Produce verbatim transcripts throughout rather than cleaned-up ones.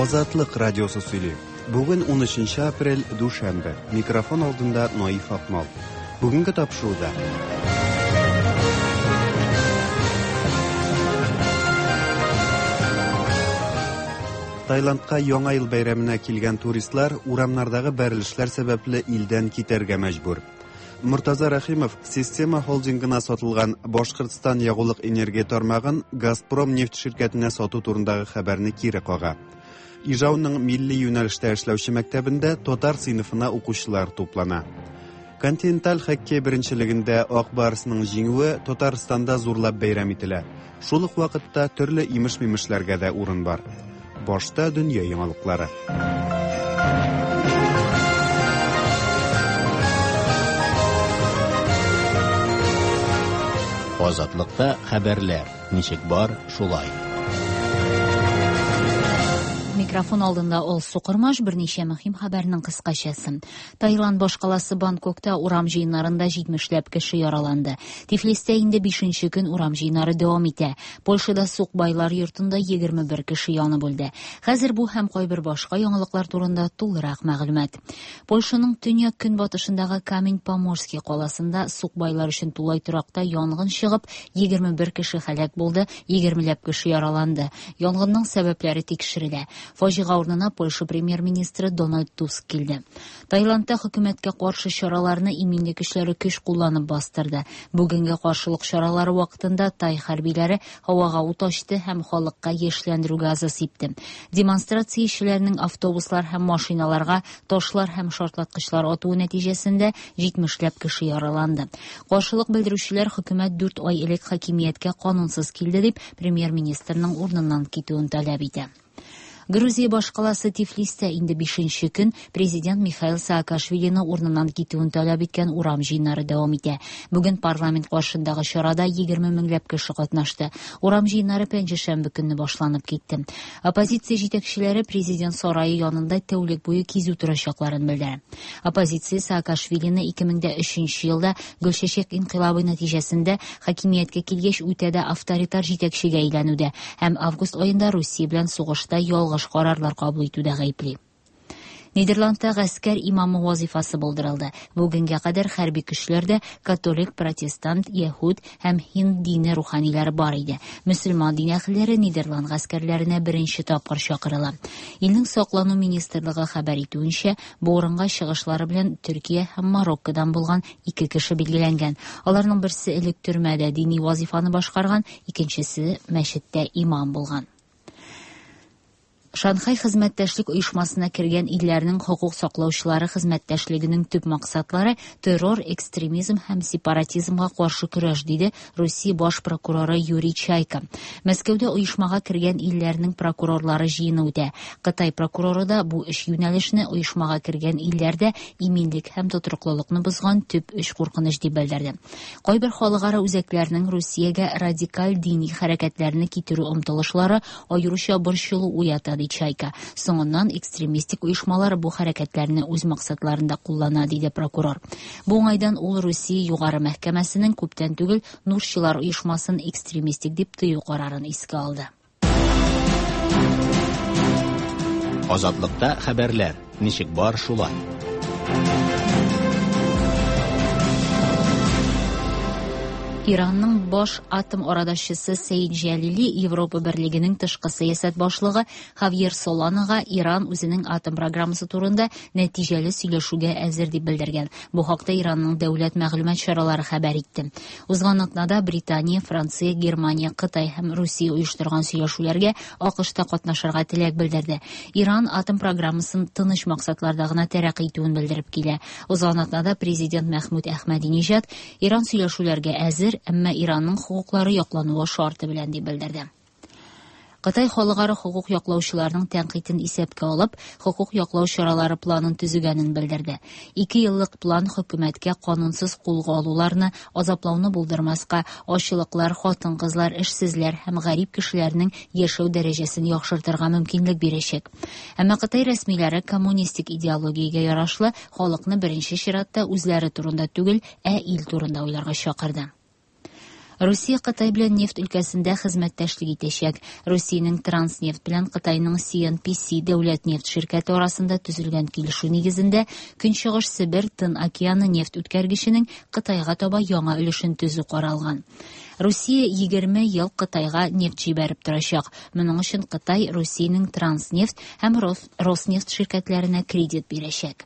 Азатлык радиосы сөйли. Бүген унөченче апрель, дүшәмбе. Микрофон алдында Наиф Акмал. Бүгенге тапшыруда. Таиландка Яңа ел бәйрәменә килгән туристлар урамнардагы бәрелешләр сәбәпле илдән китәргә мәҗбүр. Мортаза Рәхимов Система холдингына сатылган Башкортстан ягулык энергия тармагын Газпром нефть ширкәтенә сату турындагы хәбәрне кире кага. Ижауның милли юнәлештә эшләүче мәктәбендә татар сыйныфына укучылар туплана. Континенталь хоккей беренчелегендә Ак Барсның җиңүе Татарстанда зурлап бәйрәм ителә. Шул ук вакытта төрле имеш-мимешләргә дә урын бар. Башта дөнья яңалыклары. Азатлыкта хәбәрләр ничек бар, шулай. Микрофон алдында Алсу Кормаш, берничә мөһим хәбәрнең кыскачасы. Таиланд башкаласы Бангкокта урам җыеннарында җитмешләп кеше яраланды. Тифлистә инде бишенче көн урам җыеннары дәвам итә. Польшада сукбайлар йортында егерме бер кеше янып үлде. Хәзер бу һәм кайбер башка яңалыклар турында тулырак мәгълүмат. Польшаның төньяк көнбатышындагы Камень-Поморский каласында сукбайлар өчен тулай торакта янгын чыгып, егерме бер кеше һәлак булды, егермеләп кеше яраланды. Янгынның сәбәпләре тикшерелә. Фаҗига урынына Польша премьер-министры Дональд Туск килде. Таиландта хөкүмәткә каршы чараларны иминлек көчләре көч кулланып бастырды. Бүгенге каршылык чаралары вакытында тай хәрбиләре һавага ут ачты һәм халыкка яшьләндерү газы сипте. Демонстрациячеләрнең автобуслар һәм машиналарга ташлар һәм шартлаткычлар атуы нәтиҗәсендә җитмешләп кеше яраланды. Каршылык белдерүчеләр хөкүмәт дүрт ай элек хакимияткә канунсыз килде дип премьер-министрның урыныннан китүен таләп итә. Грузия башкаласы Тифлистә инде бишенче көн президент Михаил Саакашвилины урыныннан китүен таләп иткән урам җыеннары дәвам итә. Бүген парламент каршындагы чарада егерме меңләп кеше катнашты. Урам җыеннары пәнҗешәмбе көнне башланып китте. Оппозиция җитәкчеләре президент сарае янында тәүлек буе кизү торачакларын белдерә. Оппозиция Саакашвилины ике мең дә өченче елда Гөлчәчәк инкыйлабы нәтиҗәсендә хакимияткә килгәч үтә дә авторитар җитәкчегә әйләнүдә һәм август аенда Русия белән сугышта ялгыш карарлар кабул итүдә гаепли. Нидерландта гаскәр имамы вазифасы булдырылды. Бүгенгә кадәр хәрби көчләрдә католик, протестант, яһүд һәм һинд дине руханилары бар иде. Мөселман дин әһелләре Нидерланд гаскәрләренә беренче тапкыр чакырыла. Илнең саклану министрлыгы хәбәр итүенчә, бу урынга чыгышлары белән Төркия һәм Мароккодан булган ике кеше билгеләнгән. Аларның берсе элек төрмәдә дини вазифаны башкарган, икенчесе мәчеттә имам булган. Шанхай хезмәттәшлек оешмасына кергән илләрнең хокук саклаучылары хезмәттәшлегенең төп максатлары террор, экстремизм һәм сепаратизмга каршы көрәш, диде Русия баш прокуроры Юрий Чайка. Мәскәүдә оешмага кергән илләрнең прокурорлары җыены үтә. Кытай прокуроры да бу эш юнәлешне оешмага кергән илләрдә иминлек һәм тотрыклылыкны бозган төп өч куркыныч дип белдерде. Кайбер халыкара үзәкләрнең Русиягә радикаль дини хәрәкәтләрне китерү омтылышлары аеруча борчылу уята, ди Чайка. Соңыннан экстремистик оешмалар бу хәрәкәтләрне үз максатларында куллана, диде прокурор. Бу уңайдан ул Русия югары мәхкәмәсенең күптән түгел Нурчылар оешмасын экстремистик дип тыю карарын искә алды. Азатлыкта хәбәрләр ничек бар, шулай. Иранның баш атом арадашчысы Сәид Җәлили Европа Берлегенең тышкы сәясәт башлыгы Хавьер Соланага Иран үзенең атом программасы турында нәтиҗәле сөйләшүгә әзер дип белдергән. Бу хакта Иранның дәүләт мәгълүмат чаралары хәбәр итте. Узган атнада Британия, Франция, Германия, Кытай һәм Русия оештырган сөйләшүләргә АКШта катнашырга теләк белдерде. Иран атом программасын тыныч максатларда гына тәрәкъи итүен белдереп килә. Узган атнада президент Мәхмүд Әхмәдинежад Иран сөйләшүләргә әзер, әмма Иранның хокуклары яклануы шарты белән дип белдерде. Кытай халыкара хокук яклаучыларның тәнкыйтен исәпкә алып, хокук яклау чаралары планын төзегәнен белдерде. Ике еллык план хөкүмәткә канунсыз кулга алуларны, азаплауны булдырмаска, ачлыклар, хатын-кызлар, эшсезләр һәм гарип кешеләрнең яшәү дәрәҗәсен яхшыртырга мөмкинлек бирәчәк. Әмма Кытай рәсмиләре коммунистик идеологиягә ярашлы халыкны беренче чиратта үзләре турында түгел, ә ил турында уйларга чакырды. Русия Кытай белән нефть өлкәсендә хезмәттәшлек итәчәк. Русиянең Транснефть белән Кытайның Си Эн Пи Си дәүләт нефть ширкәте арасында төзелгән килешү нигезендә Көнчыгыш Себер Тын океаны нефть үткәргеченең Кытайга таба яңа өлешен төзү каралган. Русия егерме ел Кытайга нефть җибәреп торачак. Моның өчен Кытай Русиянең Транснефть һәм Рос-, Роснефть ширкәтләренә кредит бирәчәк.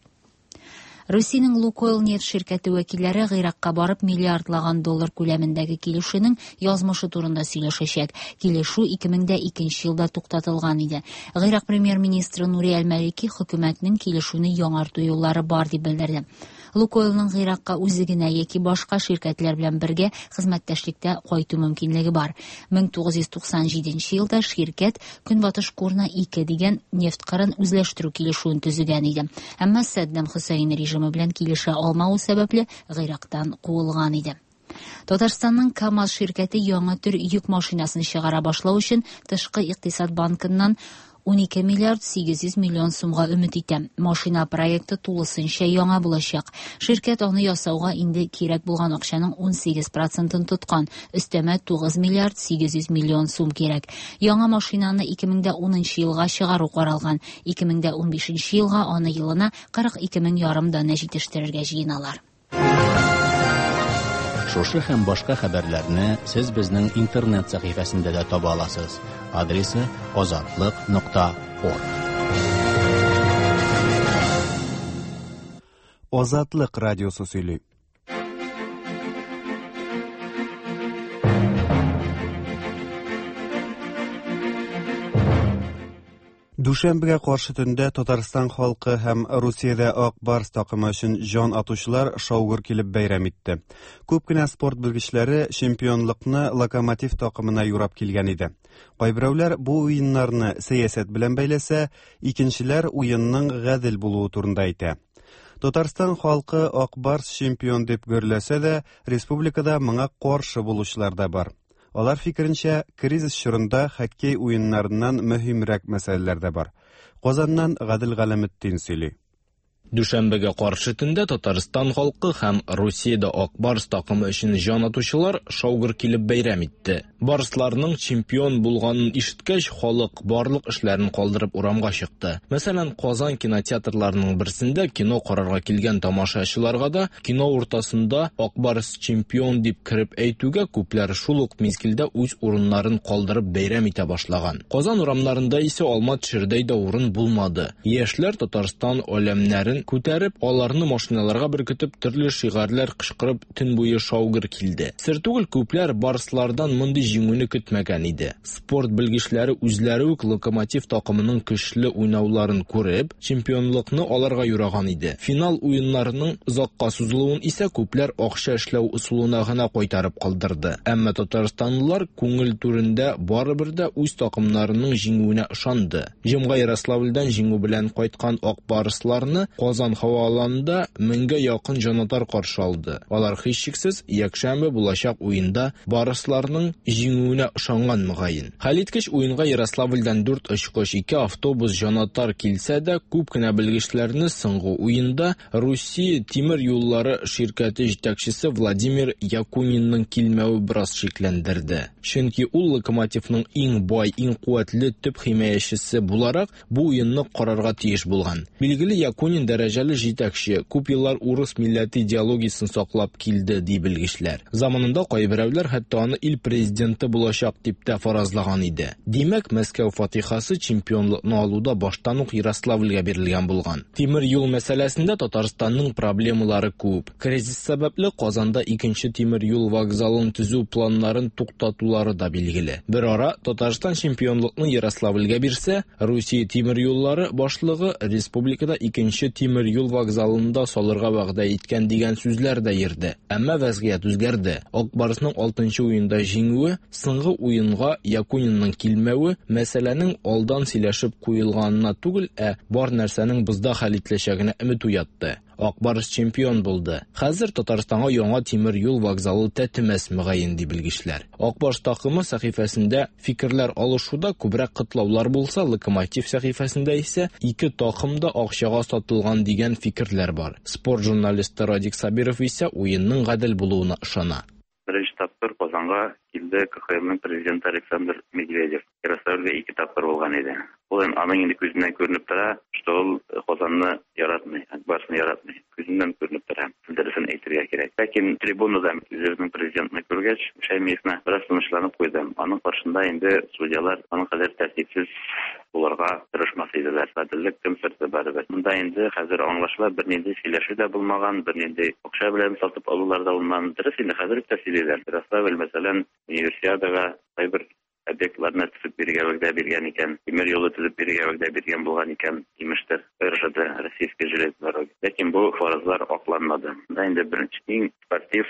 Русиянең Лукойл нефть ширкәте вәкилләре Гыйракка барып миллиардлаган доллар күләмендәге килешүнең язмышы турында сөйләшәчәк. Килешү ике мең дә икенче елда туктатылган иде. Гыйрак премьер-министры Нури Әл-Малики хөкүмәтнең килешүне яңарту юллары бар дип белдерде. Лукойлның Гыйракка үзе генә яки башка ширкәтләр белән бергә хезмәттәшлектә кайту мөмкинлеге бар. Мең тугыз йөз туксан җиденче елда ширкәт Көнбатыш Курна ике дигән нефть кырын үзләштерү килешүен төзегән иде. Әмма Саддам Хөсәйн режимы белән килешә алмавы сәбәпле Гыйрактан куылган иде. Татарстанның КАМАЗ ширкәте яңа төр йөк машинасын чыгара башлау өчен Тышкы икътисад банкыннан ун ике миллиард сигез йөз миллион сумга өмет итә. Машина проекты тулысынча яңа булачак. Ширкәт аны ясауга инде кирәк булган акчаның ун сигез процентын тоткан. Өстәмә тугыз миллиард сигез йөз миллион сум кирәк. Яңа машинаны ике мең дә унынчы елга чыгару каралган. Ике мең дә унбишенче елга аны елына кырык ике мең ярым данә җитештерергә җыеналар. Шушы һәм башка хәбәрләрне сез безнең интернет сәхифәсендә дә таба аласыз. Адресы азатлык нокта орг. Азатлык радиосы сөйли. Дүшәмбегә каршы төндә Татарстан халкы һәм Русиядә Ак Барс такымы өчен җан атучылар шаугыр килеп бәйрәм итте. Күп кенә спорт белгечләре чемпионлыкны Локомотив такымына юрап килгән иде. Кайберәүләр бу уеннарны сәясәт белән бәйләсә, икенчеләр уенның гадел булуы турында әйтә. Татарстан халкы Ак Барс чемпион дип гөрләсә дә, республикада моңа каршы булучылар да бар. Алар фикеренчә, кризис чорында хоккей уеннарыннан мөһимрәк мәсьәләләр дә бар. Казаннан Гадел Галәметдин сөйли. Дүшәмбегә каршы төндә Татарстан халкы һәм Русиядә Ак Барс такымы өчен җан атучылар шаугыр килеп бәйрәм итте. Барсларның чемпион булганын ишеткәч, халык барлык эшләрен калдырып урамга чыкты. Мәсәлән, Казан кинотеатрларының берсендә кино карарга килгән тамашачыларга да кино уртасында Ак Барс чемпион дип кереп әйтүгә күпләр шул ук мизгелдә үз урыннарын калдырып бәйрәм итә башлаган. Казан урамнарында исә алма төшердәй дә урын булмады. Яшьләр Татарстан әләмнәрен күтәреп, аларны машиналарга беркетеп, төрле шигарьләр кычкырып, төн буе шаугыр килде. Сер түгел, күпләр барслардан мондый җиңүне көтмәгән иде. Спорт белгечләре үзләре үк Локомотив такымының көчле уйнауларын күреп, чемпионлыкны аларга юраган иде. Финал уеннарының озакка сузылуын исә күпләр акча эшләү ысулына гына кайтарып калдырды. Әмма татарстанлылар күңел түрендә барыбер дә үз такымнарының җиңүенә ышанды. Җомга Ярославльдән җиңү белән кайткан Ак Барсларны Казан һаваланында меңгә якын җанатар каршы алды. Алар һичшиксез якшәмбе булачак уенда барсларның җиңүенә ышанган мөгаен. Хәлиткеч уенга Ярославльдән дүрт очкыч, ике автобус җанатар килсә дә, күп кенә белгечләрне соңгы уенда Русия тимер юллары ширкәте җитәкчесе Владимир Якунинның килмәве бераз шикләндерде. Чөнки ул Локомотивның иң бай, иң куәтле төп химаячесе буларак бу уенны карарга тиеш булган. Билгеле, Якунин дәрәҗәле җитәкче, күп еллар урыс милләте идеологиясен саклап килде, ди белгечләр. Заманында кайберәүләр хәтта аны ил президенты булачак дип тә фаразлаган иде. Димәк, Мәскәү фатихасы чемпионлыкны алуда баштан ук Ярославльгә бирелгән булган. Тимер юл мәсьәләсендә Татарстанның проблемалары күп. Кризис сәбәпле Казанда икенче тимер юл вокзалын төзү планнарын туктатулары да билгеле. Бер ара Татарстан чемпионлыкны Ярославльгә бирсә, Русия тимер юллары башлыгы республикада икенче тимер юл вокзалында салырга вәгъдә иткән дигән сүзләр дә йөрде. Әмма вәзгыять үзгәрде. Ак Барсның алтынчы уенда җиңүе, соңгы уенга Якунинның килмәве мәсьәләнең алдан сөйләшеп куелганына түгел, ә бар нәрсәнең бозда хәл ителәчәгенә өмет уятты. Ак Барс чемпион булды. Хәзер Татарстанга яңа тимер юл вокзалы тәтемәс мөгаен, ди белгечләр. Ак Барс такымы сәхифәсендә фикерләр алышуда күбрәк котлаулар булса, Локомотив сәхифәсендә исә ике такым да акчага сатылган дигән фикерләр бар. Спорт журналисты Радик Сабиров исә уенның гадел булуына ышана. Беренче тапкыр Казанга Казанга килде К Х Лның президенты Александр Медведев. Ярославльгә ике тапкыр булган иде. Ул аның инде күзеннән күренеп тора, что ул Казанны яратмый, Ак Барсны яратмый. Күзеннән күренеп тора. Дөресен әйтергә кирәк. Ләкин трибунада үзебезнең президентны күргәч, Шәймиевне бераз тынычланып куйды. Аның каршында инде судьялар аның кадәр тәртипсез булырга тырышмас иделәр. Гаделлек кем сырты барыбер. Монда инде хәзер аңлашыла, бернинди сөйләшү дә булмаган, бернинди акча белән сатып алулар да булмаган. Дөрес инде хәзер үк тә сөйлиләр. Ярославль, мәсәлән, универсиадага кайбер объектларны төзеп бирергә вәгъдә биргән икән, тимер юлы төзеп бирергә вәгъдә биргән булган икән, имештер, Р Ж Д, Российская железная дорога. Ләкин бу фаразлар акланмады. Монда инде беренче иң спортив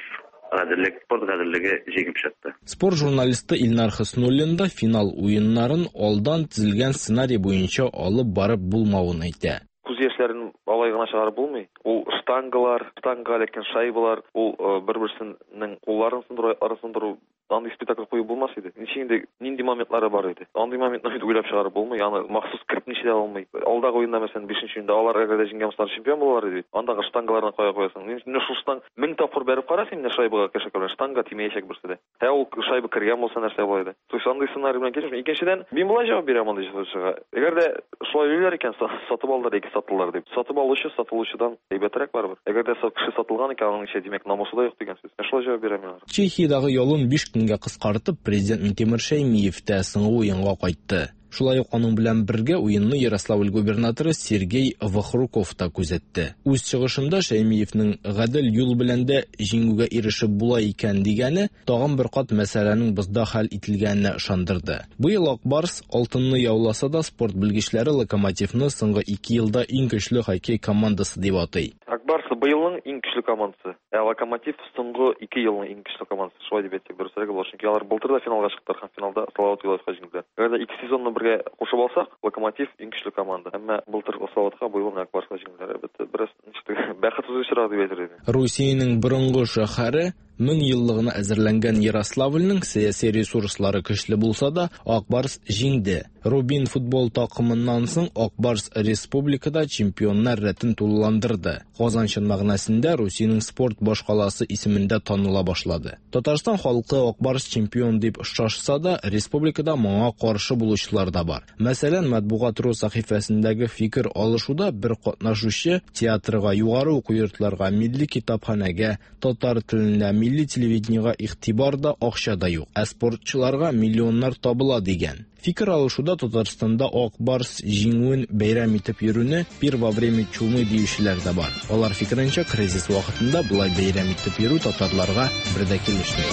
гаделлек, спорт гаделлеге җиңеп чыкты. Спорт журналисты Илнар Хөснуллин да финал уеннарын алдан төзелгән сценарий буенча алып барып булмавын әйтә. Күз яшьләрен алай гына чыгарып булмый. Ул штангалар, штанга эләккән шайбалар, ул бер-берсенең кулларын сындыру, аякларын сындыру, андый спектакль куеп булмас иде. Ничек инде нинди моментлары бар иде. Андый моментны бит уйлап чыгарып булмый, аны махсус кертеп ничә дә алмый. Алдагы уенда, мәсәлән, бишенче уенда алар әгәр дә җиңгән булсалар чемпион булалар иде бит. Андагы штангаларны кая куясың? Менә шул штанг мең тапкыр бәреп кара син менә шайбага кеше белән штанга тимәячәк берсе дә. Ә ул шайба кергән булса нәрсә була иде. То есть андый сценарий белән килешмим. Икенчедән, мин болай җавап бирәм андый ситуациягә. Әгәр дә шулай уйлар икән, сатып алдылар яки саттылар дип. Сатып алучы сатылучыдан әйбәтрәк барыбер. Әгәр дә кеше сатылган икән, аның исә димәк намусы да юк дигән сүз. Мен шулай җавап бирәм мин аларга. Чехиядагы ялын биш көнгә кыскартып, президент Минтимер Шәймиев тә соңгы уенга кайтты. Шулай ук аның белән бергә уенны Ярославль губернаторы Сергей Вахруков та күзәтте. Үз чыгышында Шәймиевнең гадел юл белән дә җиңүгә ирешеп була икән дигәне тагын бер кат мәсьәләнең бозда хәл ителгәненә ышандырды. Быел Ак Барс алтынны яуласа да, спорт белгечләре Локомотивны соңгы ике елда иң көчле хоккей командасы дип атый. Ак Барс быелның иң көчле командасы, ә Локомотив соңгы ике елның иң көчле командасы. Шулай дип әйтсәк дөресрәк була, чөнки алар былтыр да финалга чыктылар һәм финалда Салават Юлаевка җиңделәр. Әгәр дә ике сезонны бергә кушып алсак, Локомотив иң көчле команда. Әмма былтыр Салаватка, быел Ак Барска җиңделәр. Әлбәттә, бераз ничек бәхетсез очрак дип әйтер идем. Русиянең борынгы шәһәре мең еллыгына әзерләнгән Ярославльнең сәяси ресурслары көчле булса да, Ак Барс җиңде. Рубин футбол такымыннан соң Ак Барс республикада чемпионнар рәтен тулыландырды. Казан чын мәгънәсендә Русиянең спорт башкаласы исемендә таныла башлады. Татарстан халкы Ак Барс чемпион дип шашса да, республикада моңа каршы булучылар да бар. Мәсәлән, Матбугат.ру сәхифәсендәге фикер алышуда бер катнашучы театрга, югары уку йортларга, милли китапханәгә, татар теленә, милли телевидениега игътибар да, акча да юк, ә спортчыларга миллионнар табыла дигән. Фикер алышуда Татарстанда Ак Барс җиңүен бәйрәм итеп йөрүне пир во время чумы диючеләр дә бар. Алар фикеренчә, кризис вакытында болай бәйрәм итеп йөрү татарларга бер дә килешми.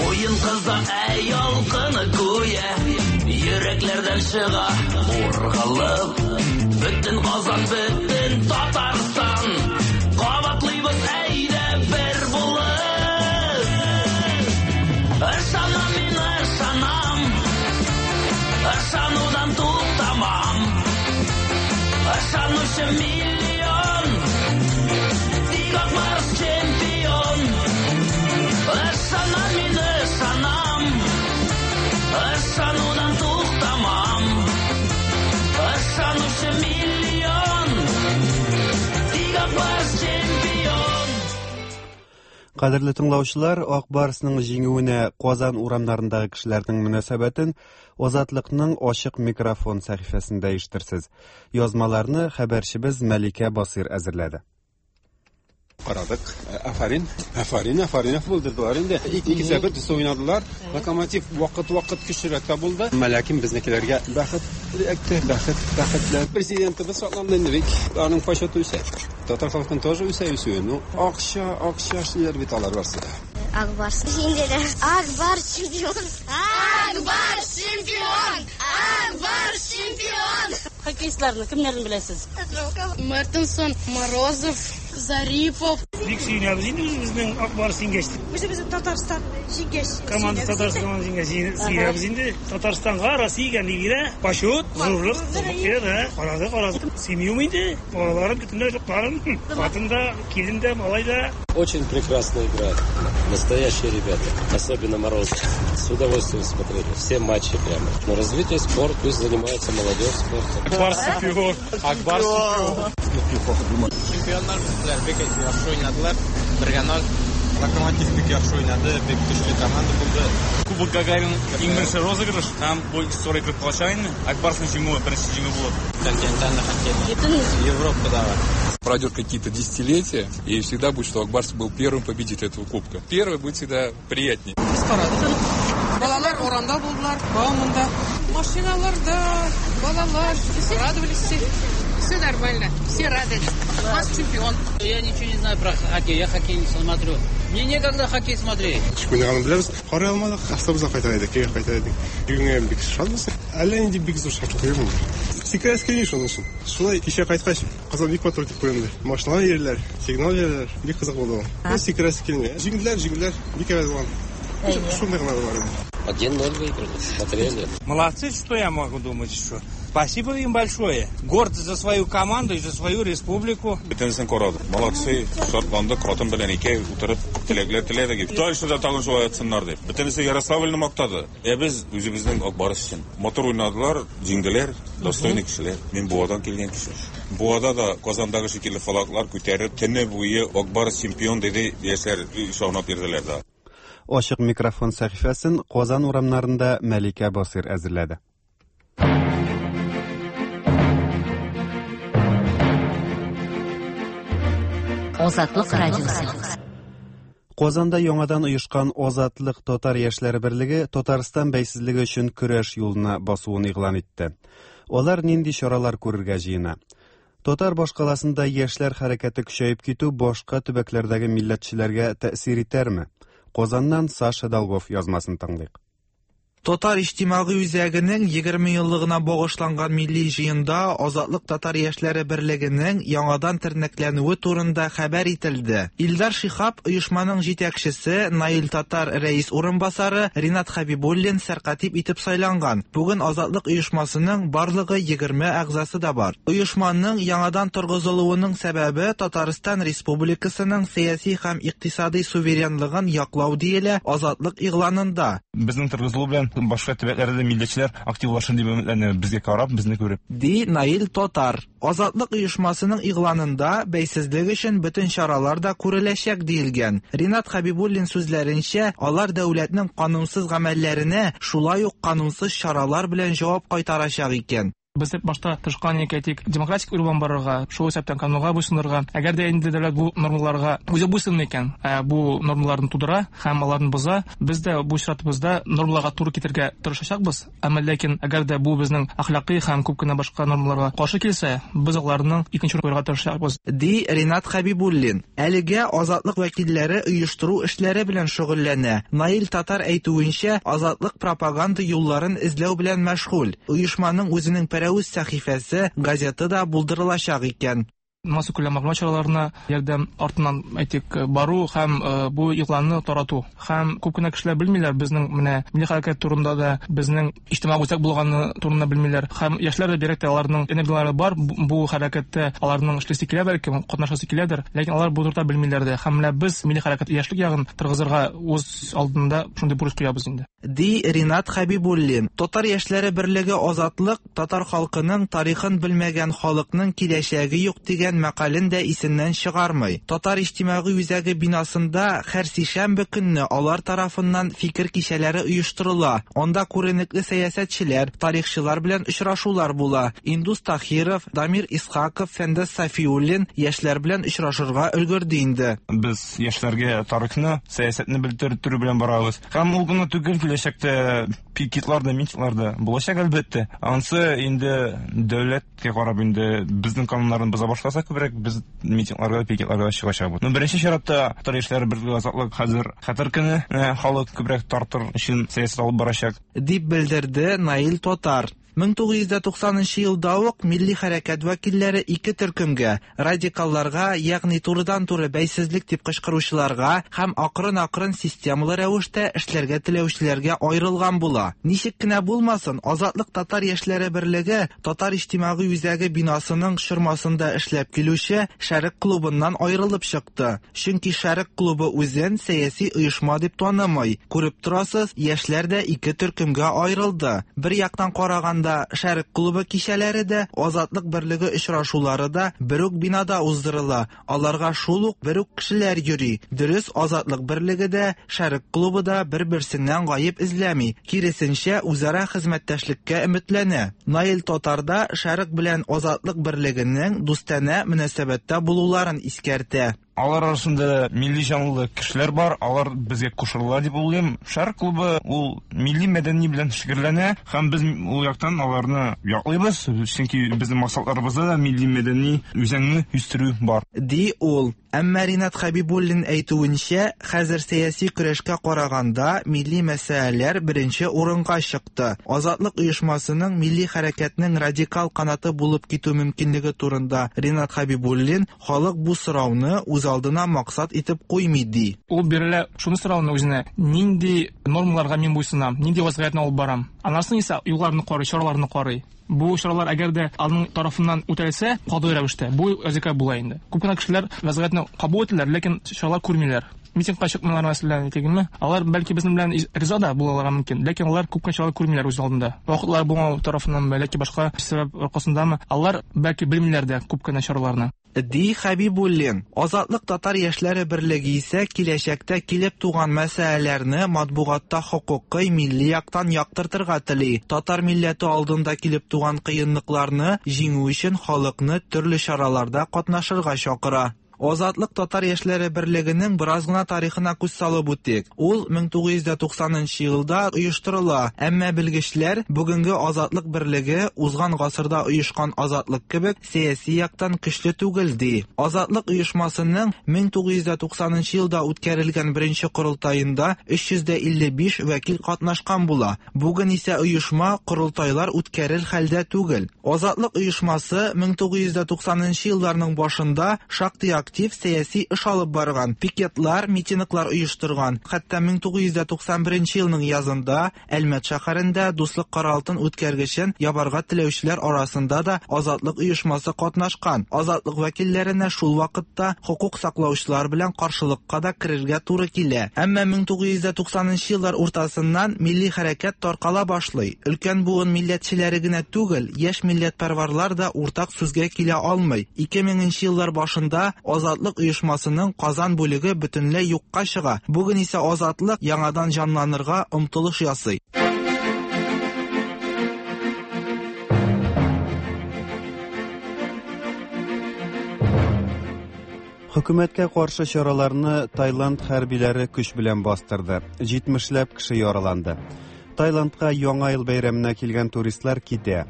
Уен кыза әй ялкыны гүя, йөрәкләрдән чыга ургалып, бөтен Казан, бөтен Татарстан кабатлыйбыз әйдә бер булып. Ышанам мин, ышанам, ышанудан туктамам. Ышанучы миллион, тик Ак Барс чемпион. Ышанам мин, ышанам, ышанудан туктамам. Ышанучы миллион, тик Ак Барс чемпион. Кадерле тыңлаучылар, Ак Барсның җиңүенә Казан урамнарындагы кешеләрнең мөнәсәбәтен Азатлыкның ачык микрофон сәхифәсендә ишетерсез. Язмаларны хәбәрчебез Мәликә Басир әзерләде. Карадык. Афарин, афарин, афарин булдырдылар инде. Ике сәбәп төс уйнадылар. Локомотив вакыт-вакыт көчлерәк тә булды. Ләкин безнекеләргә бәхет эләкте, бәхет, бәхетле. Президентыбыз шатланды инде бик. Аның почеты үсә. Татар халкының тоже үсә үсүе. Ну, акча, акча эшлиләр бит алар барсы да. Ак Барс җиңделәр. Ак Барс чемпион. Ак Барс чемпион. Ак Барс чемпион. Хоккеистларны кемнәрен беләсез? Мартинсон, Морозов, Зарипов. Бик сөенәбез инде үзебезнең Ак Барс җиңгәч. Үзебезнең Татарстан җиңгәч. Команда Татарстан җиңгәч сөенәбез инде. Татарстанга, Россиягә нигә почет, зурлык, да, карады, карады. Семьям инде, балаларым, бөтенләй жокларым, хатын да, килен дә, малай да. Очень прекрасно играют. Настоящие ребята, особенно Морозов. С удовольствием смотрели все матчи прямо. Но развитие спорта, пусть занимается молодежь спортом. Ак Барс чемпион. Ак Барс чемпион. Чемпионнар bizler бик яхшы уйнадылар. бер ноль. Локомотив бик яхшы уйнады, бик көчле команда булды. Кубок Гагарин иң беренче розыгрыш һәм бу история кереп калачак инде. Ак Барсның җиңүе беренче җиңү булыр. Континентальный хоккей. Европада бар. Пройдет какие-то десятилетия, и всегда будет, что Ак Барс был первым победителем этого кубка. Первый будет всегда приятнее. Балалар урамда булдылар, Бауманда. Машиналарда, балалар, все радовались все. Все нормально, все рады. Наш чемпион. Я ничего не знаю про хоккей, я хоккей не смотрю. Мне некогда хоккей смотреть. Ничек уйнаганын беләбез. Карый алмадык, автобуска кайта идек, өйгә кайта идек. Җиңүгә бик шатбыз. Әллә нинди бик зур шатлык юк инде. Сикерәсе килми шуның өчен. Шулай кичә кайткач, Казан бик матур дип күренде. Машиналар йөриләр, сигнал бирәләр. Бик кызык булды ул. Сикерәсе килми. Җиңделәр, җиңделәр. Бик әйбәт булган. Шундый гына бар иде. один ноль выиграли, смотрели. Молодцы, что я могу думать еще. Спасибо им большое. Горд за свою команду и за свою республику. Бөтенесен карадык. Молодцы, шатландык, хатын белән икәү утырып теләкләр теләдек. Дальше да тагын шулай атсыннар дип. Бөтенесе Ярославльны мактады. Ә без үзебезнең Ак Барс өчен. Матур уйнадылар, җиңделәр, достойный кешеләр. Мин Буадан килгән кеше. Буада да Казандагы шикелле флаглар күтәреп, төне буе Ак Барс чемпион диде, яшьләр шаунап йөрделәр дә. Ачык микрофон сәхифәсен Казан урамнарында Мәликә Басир әзерләде. Азатлык радиосы. Казанда яңадан оешкан Азатлык татар яшьләре берлеге Татарстан бәйсезлеге өчен көрәш юлына басуын игълан итте. Алар нинди чаралар күрергә җыена? Татар башкаласында яшьләр хәрәкәте көчәеп китү башка төбәкләрдәге милләтчеләргә тәэсир итәрме? Казаннан Саша Долгов язмасын тыңлыйк. Татар иҗтимагый үзәгенең егерме еллыгына багышланган милли җыенда Азатлык татар яшьләре берлегенең яңадан тернәкләнүе турында хәбәр ителде. Илдар Шихаб оешманың җитәкчесе, Наил Татар рәис урынбасары, Ринат Хәбибуллин сәркатип итеп сайланган. Бүген Азатлык оешмасының барлыгы егерме әгъзасы да бар. Оешманың яңадан торгызылуының сәбәбе Татарстан Республикасының сәяси һәм икътисади суверенлыгын яклау диелә Азатлык игъланында. Безнең торгызылу белән башка төбәкләрдә милләтчеләр активлашыр дип өметләнәбез, безгә карап, безне күреп. Ди Наил Татар. Азатлык оешмасының игъланында бәйсезлек өчен бөтен чаралар да күреләчәк диелгән. Ринат Хәбибуллин сүзләренчә, алар дәүләтнең канунсыз гамәлләренә шулай ук канунсыз чаралар белән җавап кайтарачак икән. Без башта тырышкан әйтик, демократик юлдан барырга, шул исәптән канунга буйсынырга. Әгәр дә инде дәүләт бу нормаларга үзе буйсынмый икән, бу нормаларны тудыра һәм аларны боза, без дә бу чиратыбызда нормаларга туры китерергә тырышачакбыз. Әмма ләкин әгәр дә бу безнең әхлакый һәм күп кенә башка нормаларга каршы килсә, без аларның икенче куярга тырышачакбыз. Ди Ринат Хәбибуллин. Әлегә Азатлык вәкилләре оештыру эшләре белән шөгыльләнә. Наил Татар әйтүенчә, Азатлык пропаганда юлларын эзләү белән мәшгуль. Оешманың үзенең Пәрәвез сәхифәсе, газеты да булдырылачак икән. Массакүләм мәгълүмат чараларына ярдәм артыннан әйтик бару һәм бу игъланны тарату. Һәм күп кенә кешеләр белмиләр безнең менә милли хәрәкәт турында да, безнең иҗтимагый үзәк булганы турында белмиләр. Һәм яшьләр дә бигрәк тә аларның энергияләре бар, бу хәрәкәттә аларның эшлисе килә, бәлки катнашасы киләдер, ләкин алар бу турыда белмиләр дә. Һәм менә без милли хәрәкәт яшьлек ягын торгызырга үз алдында шундый бурыч куябыз инде. Ди Ринат Хәбибуллин. Татар яшьләре берлеге Азатлык татар халкының тарихын белмәгән халыкның киләчәге юк дигән мәкален дә исеннән чыгармый. Татар иҗтимагый үзәге бинасында һәр сишәмбе көнне алар тарафыннан фикер кичәләре оештырыла. Анда күренекле сәясәтчеләр, тарихчылар белән очрашулар була. Индус Тахиров, Дамир Исхаков, Фәндәс Сафиуллин яшьләр белән очрашырга өлгерде инде. Без яшьләргә тарихны, сәясәтне белдерү белән барабыз. Һәм ул гына түгел, киләчәктә пикетлар да, митинглар да булачак әлбәттә. Ансы инде дәүләткә карап инде безнең кануннарны боза башласа, күбрәк без митингларга, пикетларга чыгачакбыз. Но беренче чиратта татар яшьләре берлеге Азатлык хәзер хәтер көне халык күбрәк тартыр өчен сәясәт алып барачак, дип белдерде Наил Татар. мең тугыз йөз туксанынчы елда ук милли хәрәкәт вәкилләре ике төркемгә: радикалларга, ягъни турыдан-туры бәйсезлек дип кычкыручыларга һәм акрын-акрын системалы рәвештә эшләргә теләүчеләргә аерылган була. Ничек кенә булмасын, Азатлык татар яшьләре берлеге Татар иҗтимагый үзәге бинасының чормасында эшләп килүче Шәрык клубыннан аерылып чыкты. Чөнки Шәрык клубы үзен сәяси оешма дип танымый. Күреп торасыз, яшьләр дә ике төркемгә аерылды. Бер яктан караганда Казанда Шәрык клубы кичәләре дә, Азатлык берлеге очрашулары да бер үк бинада уздырыла. Аларга шул ук бер үк кешеләр йөри. Дөрес, Азатлык берлеге дә, Шәрык клубы да бер-берсеннән гаеп эзләми. Киресенчә, үзара хезмәттәшлеккә өметләнә. Наил Татар да Шәрык белән Азатлык берлегенең дустанә мөнәсәбәттә булуларын искәртә. Алар арасында милли җанлы кешеләр бар, алар безгә кушыла дип уйлыйм. Шәрык клубы ул милли мәдәни белән шөгыльләнә һәм без ул яктан аларны яклыйбыз, чөнки безнең максатларыбызда да милли мәдәни үзаңны үстерү бар. Ди ул. Әмма Ринат Хәбибуллин әйтүенчә, хәзер сәяси көрәшкә караганда милли мәсьәләләр беренче урынга чыкты. Азатлык оешмасының милли хәрәкәтнең радикал канаты булып китү мөмкинлеге турында Ринат Хәбибуллин халык бу сорауны үз алдына максат итеп куймый ди. Ул бирелә шуны сорауны үзенә: нинди нормаларга мин буйсынам, нинди вазгыятьне алып барам. Аннан исә юлларны карый, чараларны карый. Бу чаралар әгәр дә аның тарафыннан үтәлсә, катгый рәвештә бу вазифа була инде. Күп кенә кешеләр вазгыятьне кабул итәләр, ләкин чаралар күрмиләр. Митингка чыкмыйлар, мәсәлән, әйтегезме? Алар бәлки безнең белән риза да булалар мөмкин, ләкин алар күп кенә чаралар күрмиләр үз алдында. Вакытлар булмау тарафыннан, бәлки башка сәбәп аркасындамы, алар бәлки белмиләр дә күп кенә чараларны. Ди Хәбибуллин. Азатлык татар яшьләре берлеге исә киләчәктә килеп туган мәсьәләләрне матбугатта хокукый милли яктан яктыртырга тели. Татар милләте алдында килеп туган кыенлыкларны җиңү өчен халыкны төрле чараларда катнашырга чакыра. Азатлык татар яшьләре берлегенең бераз гына тарихына күз салып үтик. Ул мең тугыз йөз туксанынчы елда оештырыла. Әмма белгечләр бүгенге Азатлык берлеге узган гасырда оешкан Азатлык кебек сәяси яктан көчле түгел ди. Азатлык оешмасының мең тугыз йөз туксанынчы елда үткәрелгән беренче корылтаенда өч йөз илле биш вәкил катнашкан була. Бүген исә оешма корылтайлар үткәрер хәлдә түгел. Азатлык оешмасы мең тугыз йөз туксанынчы елларның башында шактый актив сәяси эш алып барган, пикетлар, митинглар оештырган. Хәтта мең тугыз йөз туксан беренче елның язында Әлмәт шәһәрендә Дуслык каралтын үткәргечен ябарга теләүчеләр арасында да Азатлык оешмасы катнашкан. Азатлык вәкилләренә шул вакытта хокук саклаучылар белән каршылыкка да керергә туры килә. Әмма мең тугыз йөз туксанынчы еллар уртасыннан милли хәрәкәт таркала башлый. Өлкән буын милләтчеләре генә түгел, яшь милләтпәрварлар да уртак сүзгә килә алмый. ике меңенче еллар башында Азатлык оешмасының Казан бүлеге бөтенләй юкка чыга. Бүген исә Азатлык яңадан җанланырга омтылыш ясый. Хөкүмәткә каршы чараларны Таиланд хәрбиләре көч белән бастырды. Җитмешләп кеше яраланды. Таиландка Яңа ел бәйрәменә килгән туристлар китә.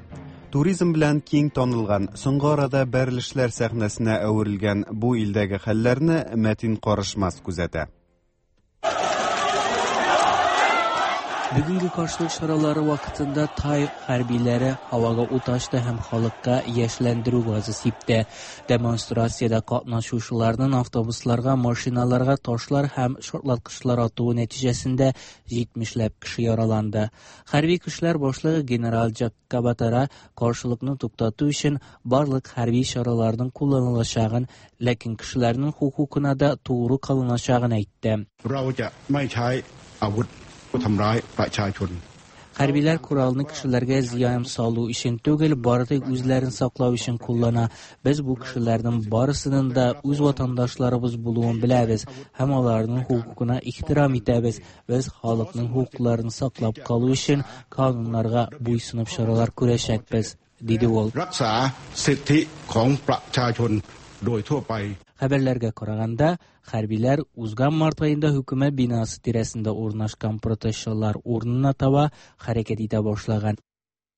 Туризм белән киң танылган, соңгы арада бәрелешләр сәхнәсенә әверелгән бу илдәге хәлләрне Мәтин Карышмас күзәтә. Бүгенге каршылык чаралары вакытында Тай хәрбиләре һавага ут ачты һәм халыкка яшьләндерү газы сипте. Демонстрациядә катнашучыларның автобусларга, машиналарга ташлар һәм шартлаткычлар атуы нәтиҗәсендә җитмешләп кеше яраланды. Хәрби көчләр башлыгы генерал Джаккабатара каршылыкны туктату өчен барлык хәрби чараларның кулланылачагын, ләкин кешеләрнең хокукына да тугры калыначагын әйтте. เราจะไม่ใช้อาวุธทำร้ายประชาชน Хәрбиләр коралны кешеләргә зыян салу өчен түгел, бары тик үзләрен саклау өчен куллана. Без бу кешеләрнең барысының да үз ватандашларыбыз булуын беләбез һәм аларның хокукына ихтирам итәбез. Без халыкның хокукларын саклап калу өчен кануннарга буйсынып чаралар күрәчәкбез, диде ул. รักษาสิทธิของประชาชนโดยทั่วไป Хәбәрләргә караганда, хәрбиләр узган март аенда хөкүмәт бинасы тирәсендә урнашкан протестчылар урынына таба хәрәкәт итә башлаган.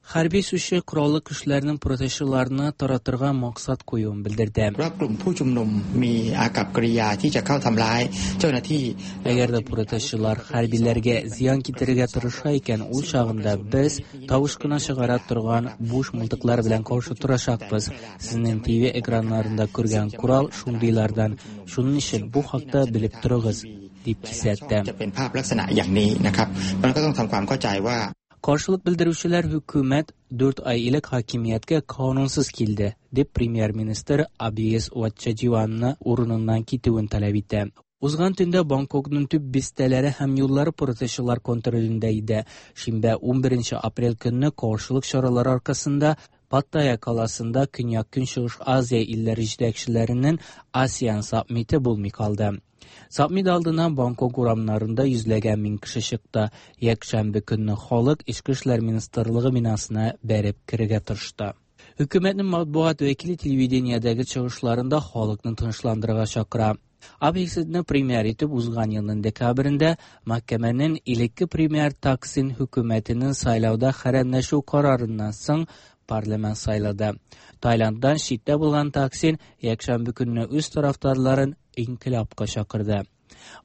Хәрби сүзче кораллы көчләрнең протестчыларны таратырга максат куюын белдерде. ว่ากลุ่มผู้ชุมนุมมีอากัปกิริยาที่จะเข้าทำร้ายเจ้าหน้าที่ Әгәр дә протестчылар хәрбиләргә зыян китерергә тырыша икән, ул чагында без тавыш кына чыгара торган буш мылтыклар белән каршы торачакбыз. Сезнең Т В экраннарында күргән корал шундыйлардан. Шуның өчен бу хакта белеп торыгыз, дип кисәтте. จะเป็นภาพลักษณะอย่างนี้นะครับมันก็ต้องทำความเข้าใจว่า Каршылык белдерүчеләр хөкүмәт дүрт ай элек хакимияткә канунсыз килде, дип премьер-министр Абиес Ватчаҗиванны урыныннан китүен таләп итә. Узган төндә Бангкокның төп бистәләре һәм юллары протестчылар контролендә иде. Шимбә унберенче апрель көнне каршылык чаралары аркасында Паттайя каласында Көньяк-Көнчыгыш Азия илләре җитәкчеләренең АСЕАН саммиты булмый калды. Саммит алдыннан Бангкок урамнарында йөзләгән мең кеше чыкты. Якшәмбе көнне халык Эчке эшләр министрлыгы бинасына бәреп керергә тырышты. Хөкүмәтнең матбугат вәкиле телевидениедәге чыгышларында халыкны тынычландырырга чакыра. Абхисидны премьер итеп узган елның декабрендә мәхкәмәнең элекке премьер Таксин хөкүмәтенең сайлауда хәрәмләшү карарыннан соң парламент сайлады. Таиланддан читтә булган Таксин якшәмбе көнне үз тарафдарларын инкыйлабка чакырды.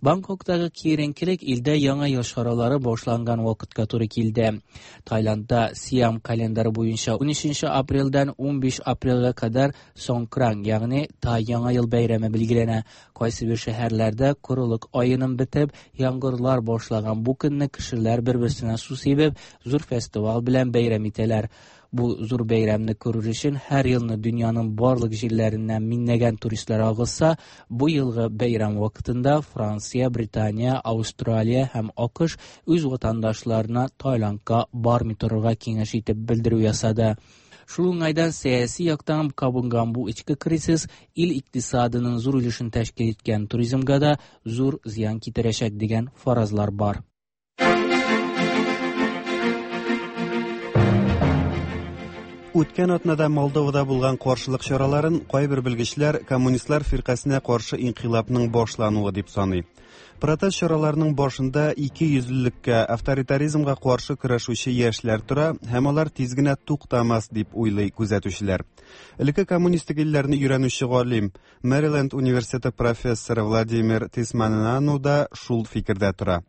Бангкоктагы киеренкелек илдә яңа ел чаралары башланган вакытка туры килде. Таиландда Сиам календары буенча унөченче апрельдән унбиш апрельгә кадәр Соңкран, ягъни Тай яңа ел бәйрәме билгеләнә. Кайсы бер шәһәрләрдә корылык аеның бетеп, яңгырлар башлаган бу көнне кешеләр бер-берсенә су сибеп, зур фестиваль белән бәйрәм итәләр. Бу зур бәйрәмне күрер өчен һәр елны дөньяның барлык җирләреннән миңнәгән туристлар агылса, бу елгы бәйрәм вакытында Франция, Британия, Австралия һәм АКШ үз ватандашларына Таиландка бармый торырга киңәш итеп белдерү ясады. Шул уңайдан сәяси яктан кабынган бу эчке кризис ил икътисадының зур өлешен тәшкил иткән туризмга да зур зыян китерәчәк дигән фаразлар бар. Үткән атнада Молдовада булган каршылык чараларын кайбер белгечләр коммунистлар фиркасенә каршы инкыйлабның башлануы дип саный. Протест чараларының башында ике йөзлелеккә, авторитаризмга каршы көрәшүче яшьләр тора һәм алар тиз генә туктамас дип уйлый күзәтүчеләр. Элекке коммунистик илләрне өйрәнүче галим, Мэриленд университеты профессоры Владимир Тисманану да шул фикердә тора.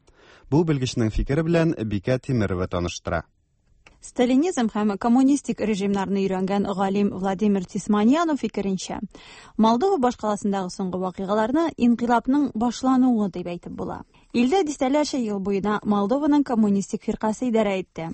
Бу белгечнең фикере белән Бикә Тимирова таныштыра. Сталинизм һәм коммунистик режимнарны өйрәнгән галим Владимир Тисманьянов фикеренчә, Молдова башкаласындагы соңгы вакыйгаларны инкыйлабның башлануы дип әйтеп була. Илдә дистәләрчә ел буена Молдованың коммунистик фиркасе идарә итте.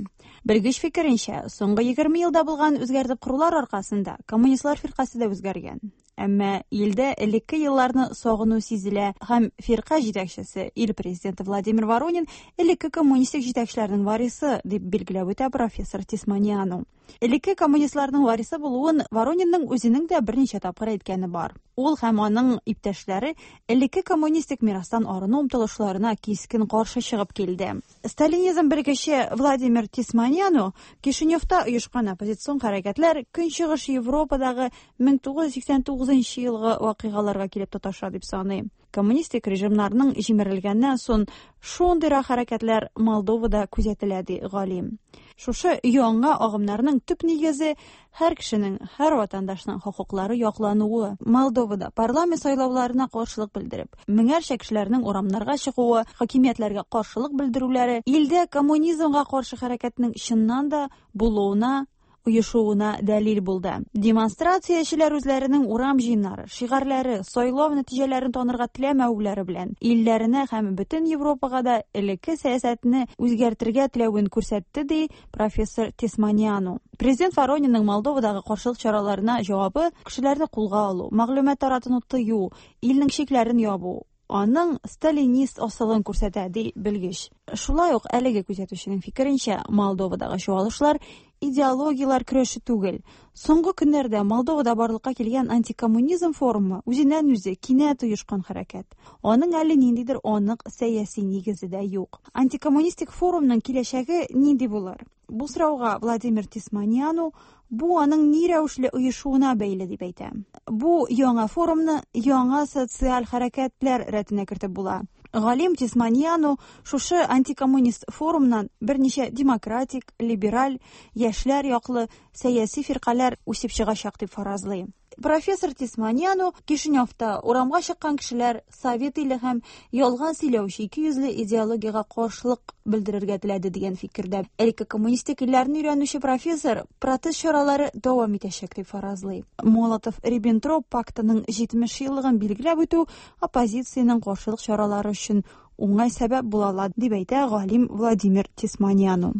Белгеч фикеренчә, соңгы егерме елда булган үзгәртеп корулар аркасында коммунистлар фиркасе дә үзгәргән. Әмма илдә элекке елларны сагыну сизелә һәм фирка җитәкчесе ил президенты Владимир Воронин элекке коммунистик җитәкчеләрнең варисы дип билгеләп үтә профессор Тисманьяну. Элекке коммунистларның варисы булуын Воронинның үзенең дә берничә тапкыр әйткәне бар. Ул һәм аның иптәшләре элекке коммунистик мирастан арыну омтылышларына кискен каршы чыгып килде. Сталинизм белгече Владимир Тисманьяну Кишиневта оешкан оппозицион хәрәкәтләр Көнчыгыш Европадагы мең тугыз йөз сиксән тугызынчы елгы вакыйгаларга килеп тоташа дип саный. Коммунистик режимнарның җимерелгәннән соң шундыйрак хәрәкәтләр Молдовада күзәтелә, ди галим. Шушы яңа агымнарның төп нигезе һәр кешенең, һәр ватандашның хокуклары яклануы. Молдовада парламент сайлауларына каршылык белдереп, меңәрчә кешеләрнең урамнарга чыгуы, хакимиятләргә каршылык белдерүләре илдә коммунизмга каршы хәрәкәтнең чыннан да булуына, оешуына дәлил булды. Демонстрациячеләр үзләренең урам җыеннары, шигарьләре, сайлау нәтиҗәләрен танырга теләмәүләре белән илләренә һәм бөтен Европага да элекке сәясәтне үзгәртергә теләвен күрсәтте, ди профессор Тисманьяну. Президент Воронинның Молдовадагы каршылык чараларына җавабы кешеләрне кулга алу, мәгълүмат таратуны тыю, илнең чикләрен ябу, аның сталинист асылын күрсәтә, ди белгеч. Шулай ук әлеге күзәтүченең фикеренчә, Молдовадагы чуалышлар идеологияләр көрәше түгел. Соңгы көннәрдә Молдовада барлыкка килгән антикоммунизм форумы үзеннән үзе кинәт оешкан хәрәкәт. Аның әле ниндидер анык сәяси нигезе дә юк. Антикоммунистик форумның киләчәге нинди булыр? Бу сорауга Владимир Тисманьяну бу аның ни рәвешле оешуына бәйле дип әйтә. Бу яңа форумны яңа социаль хәрәкәтләр рәтенә кертеп була. Галим Тисманьяну шушы антикоммунист форумнан берничә демократик, либераль, яшьләр яклы сәяси фиркаләр үсеп чыгачак дип фаразлый. Профессор Тисманьяну Кишиневта урамга чыккан кешеләр совет иле һәм ялган сөйләүче ике йөзле идеологиягә каршылык белдерергә теләде дигән фикердә. Элекке коммунистик илләрне өйрәнүче профессор протест чаралары дәвам итәчәк дип фаразлый. Молотов-Риббентроп пактының җитмеш еллыгын билгеләп үтү оппозициянең каршылык чаралары өчен уңай сәбәп була ала, дип әйтә галим Владимир Тисманьяну.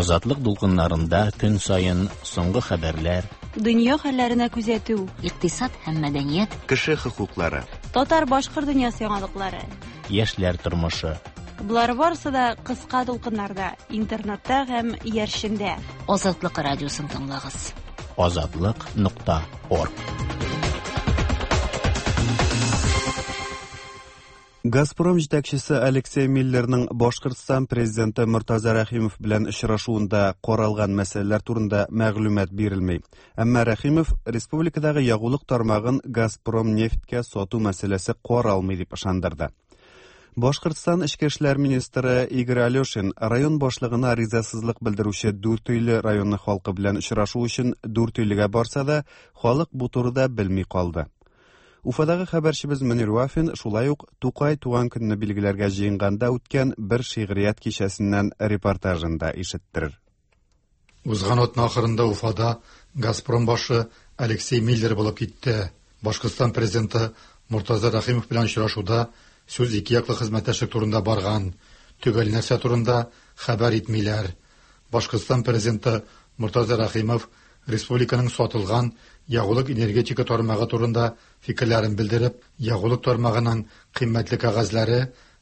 Азатлык дулкыннарында көн саен соңгы хәбәрләр, Дөнья хәлләренә күзәтү. Икътисад һәм мәдәният. Кеше хокуклары. Татар-башкорт дөньясы яңалыклары. Яшьләр тормышы. Болар барысы да кыска дулкыннарда, интернетта һәм иярчендә. Азатлык радиосын тыңлагыз. Азатлык нокта орг. Газпром җитәкчесе Алексей Миллерның Башкортстан президенты Мортаза Рәхимов белән очрашуында каралган мәсьәләләр турында мәгълүмат бирелми. Әмма Рәхимов республикадагы ягулык тармагын Газпром нефтькә сату мәсьәләсе каралмый дип ышандырды. Башкортстан Эчке эшләр министры Игорь Алешин район башлыгына ризасызлык белдерүче Дүртөйле районы халкы белән очрашу өчен Дүртөйлегә барса да, халык бу турыда белми калды. Уфадагы хәбәрчебез Мөнир Вафин шулай ук Тукай туган көнне билгеләргә җыенганда үткән бер шигърият кичәсеннән репортажын да ишеттерер. Узган атна ахырында Уфада Газпром башы Алексей Миллер булып китте. Башкортстан президенты Мортаза Рәхимов белән очрашуда сүз ике яклы хезмәттәшлек турында барган. Төгәл нәрсә турында хәбәр итмиләр. Башкортстан президенты Мортаза Рәхимов республиканың сатылган ягулык энергетика тармагы турында фикерләрен белдереп, ягулык тармагының кыйммәтле кәгазьләре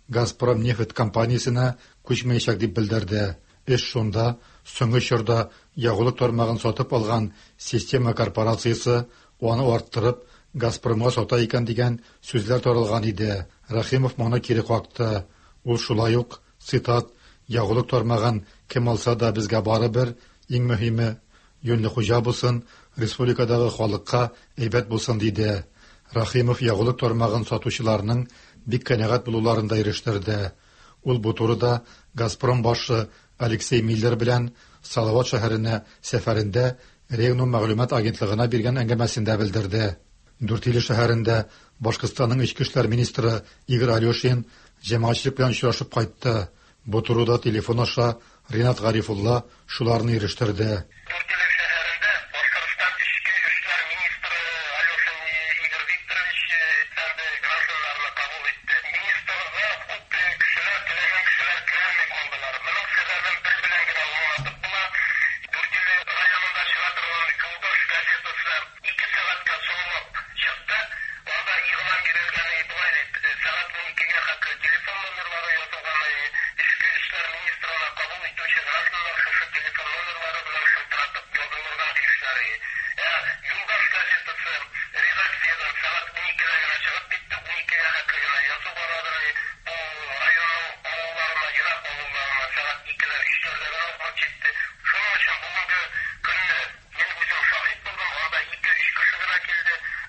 Газпром нефть компаниясенә күчмәячәк дип белдерде. Эш шунда, соңгы чорда ягулык тармагын сатып алган Система корпорациясе аны арттырып Газпромга сата икән дигән сүзләр таралган иде. Рәхимов моны кире какты. Ул шулай ук, цитат, ягулык тармагын кем алса да безгә барыбер, иң мөһиме юньле хуҗа булсын, республикадагы халыкка әйбәт булсын диде. Рәхимов ягулык тармагын сатучыларның бик канәгать булуларын да ирештерде. Ул бу турыда Газпром башы Алексей Миллер белән Салават шәһәренә сәфәрендә Регнум мәгълүмат агентлыгына биргән әңгәмәсендә белдерде. Дүртөйле шәһәрендә Башкортстанның эчке эшләр министры Игорь Алешин җәмәгатьчелек белән очрашып кайтты. Бу турыда телефон аша Ринат Гарифулла шуларны ирештерде.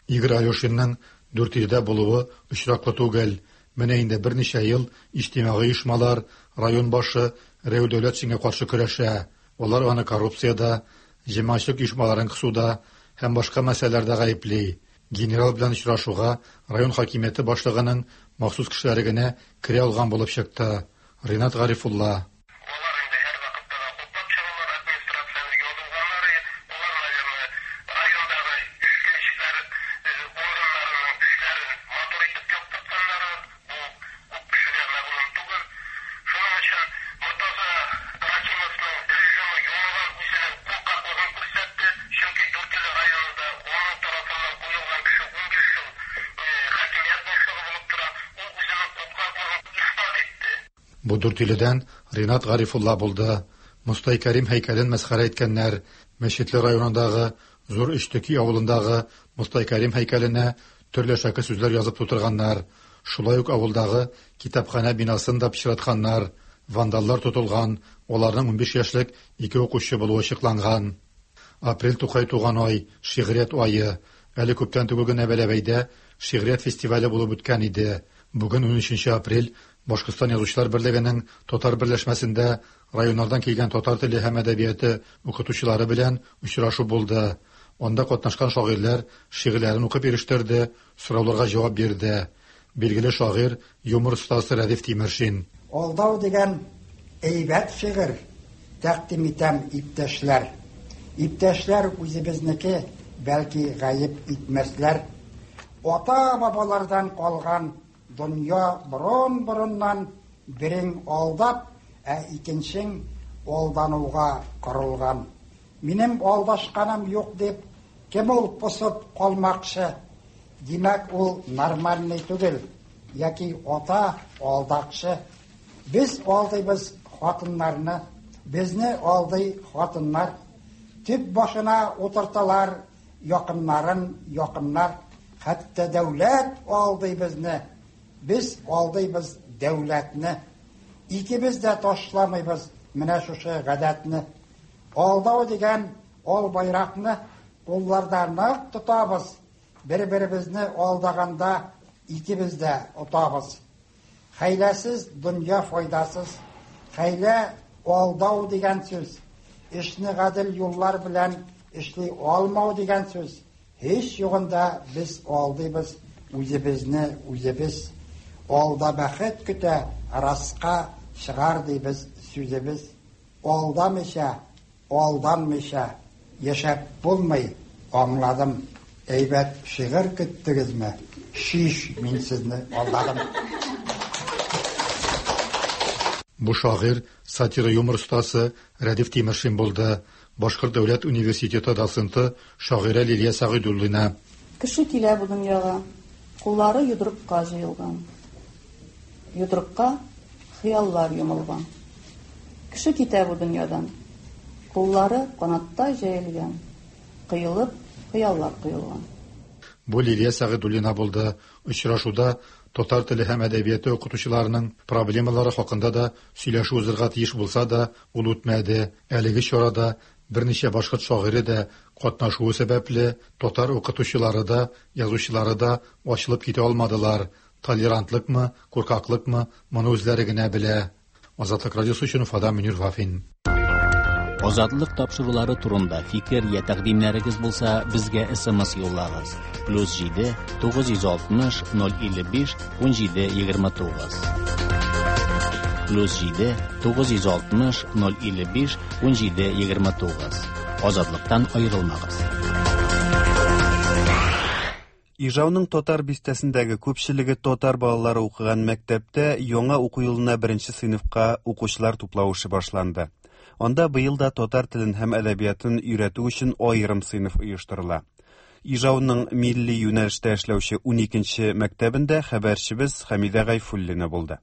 Игорь Алешинның Дүртөйледә булуы очраклы түгел. Менә инде берничә ел иҗтимагый оешмалар район башы Рәү Дәүләтшинга каршы көрәшә. Алар аны коррупциядә, җәмәгатьчелек оешмаларын кысуда һәм башка мәсьәләләрдә гаепли. Генерал белән очрашуга район хакимияте башлыгының махсус кешеләре генә керә алган булып чыкты. Ринат Гарифулла. Бу Дүртөйледән Ринат Гарифулла булды. Мостай Кәрим һәйкәлен мәсхәрә иткәннәр. Мәчетле районындагы Зур Өчтеки авылындагы Мостай Кәрим һәйкәленә төрле шәке сүзләр язып тутырганнар. Шулай ук авылдагы китапханә бинасын да пычратканнар. Вандаллар тотылган, аларның унбиш яшьлек ике укучы булуы ачыкланган. Апрель Тукай туган ай, шигърият ае. Әле күптән түгел генә Бәләбәйдә шигърият фестивале булып үткән иде. Бүген унөченче апрель Башкортстан Язучылар берлегенең татар берләшмәсендә районнардан килгән татар теле һәм әдәбияты укытучылары белән очрашу булды. Анда катнашкан шагыйрьләр шигырьләрен укып ирештерде, сорауларга җавап бирде. Билгеле шагыйрь, юмор остасы Рәдиф Тимершин. Алдау дигән әйбәт шигырь тәкъдим итәм, иптәшләр. Иптәшләр үзебезнеке, бәлки гаеп итмәсләр. Ата-бабалардан калган дөнья борын-борыннан берең алдап, ә икенчең алдануга корылган. Минем алдашканым юк дип Кем ул посып калмакчы? Димәк, ул нормальный түгел, яки ата алдакчы. Без алдыйбыз хатыннарны, безне алдый хатыннар. Төп башына утырталар якыннарын якыннар. Хәтта дәүләт алдый безне, без алдыйбыз дәүләтне. Икебез дә ташламыйбыз менә шушы гадәтне. Алдау дигән ал байракны кулларда нык тотабыз. Бер-беребезне алдаганда икебез дә отабыз. Хәйләсез дөнья файдасыз. Хәйлә алдау дигән сүз. Эшне гадел юллар белән эшли алмау дигән сүз. Һич югында без алдыйбыз үзебезне үзебез. Алда бәхет көтә, раска чыгар дибез сүзебез. Алдамыйча, алданмыйча яшәп булмый, аңладым. Әйбәт шигырь көттегезме? Шиш, мин сезне алдадым. Бу шагыйрь, сатира юмор остасы Рәдиф Тимершин булды. Башкорт дәүләт университеты доценты шагыйрә Лилия Сәгыйдуллина. Кеше килә бу дөньяга, куллары йодрыкка җыелган. Йодрыкка хыяллар йомылган. Кеше китә бу дөньядан, куллары канаттай җәелгән, кыелып хыяллар коелган. Бу Лилия Сәгыйдуллина булды. Очрашуда татар теле һәм әдәбияты укытучыларының проблемалары хакында да сөйләшү узырга тиеш булса да, ул үтмәде. Әлеге чарада берничә башкорт шагыйре дә катнашуы сәбәпле татар укытучылары да, язучылары да ачылып китә алмадылар. Толерантлыкмы, куркаклыкмы, моны үзләре генә белә. Азатлык радиосы өчен Уфадан Мөнир Вафин. Азатлык тапшырулары турында фикер я тәкъдимнәрегез булса, безгә эс эм эс юллагыз. Плюс җиде тугыз йөз алтмыш ноль илле биш ун җиде егерме тугыз. Плюс җиде тугыз йөз алтмыш ноль илле биш ун җиде егерме тугыз. Азатлыктан аерылмагыз. Ижауның татар бистәсендәге күпчелеге татар балалары укыган мәктәптә яңа уку елына беренче сыйныфка укучылар туплау эше башланды. Анда быел да татар телен һәм әдәбиятын өйрәтү өчен аерым сыйныф оештырыла. Ижауның милли юнәлештә эшләүче уникенче мәктәбендә хәбәрчебез Хәмидә Гайфуллина булды.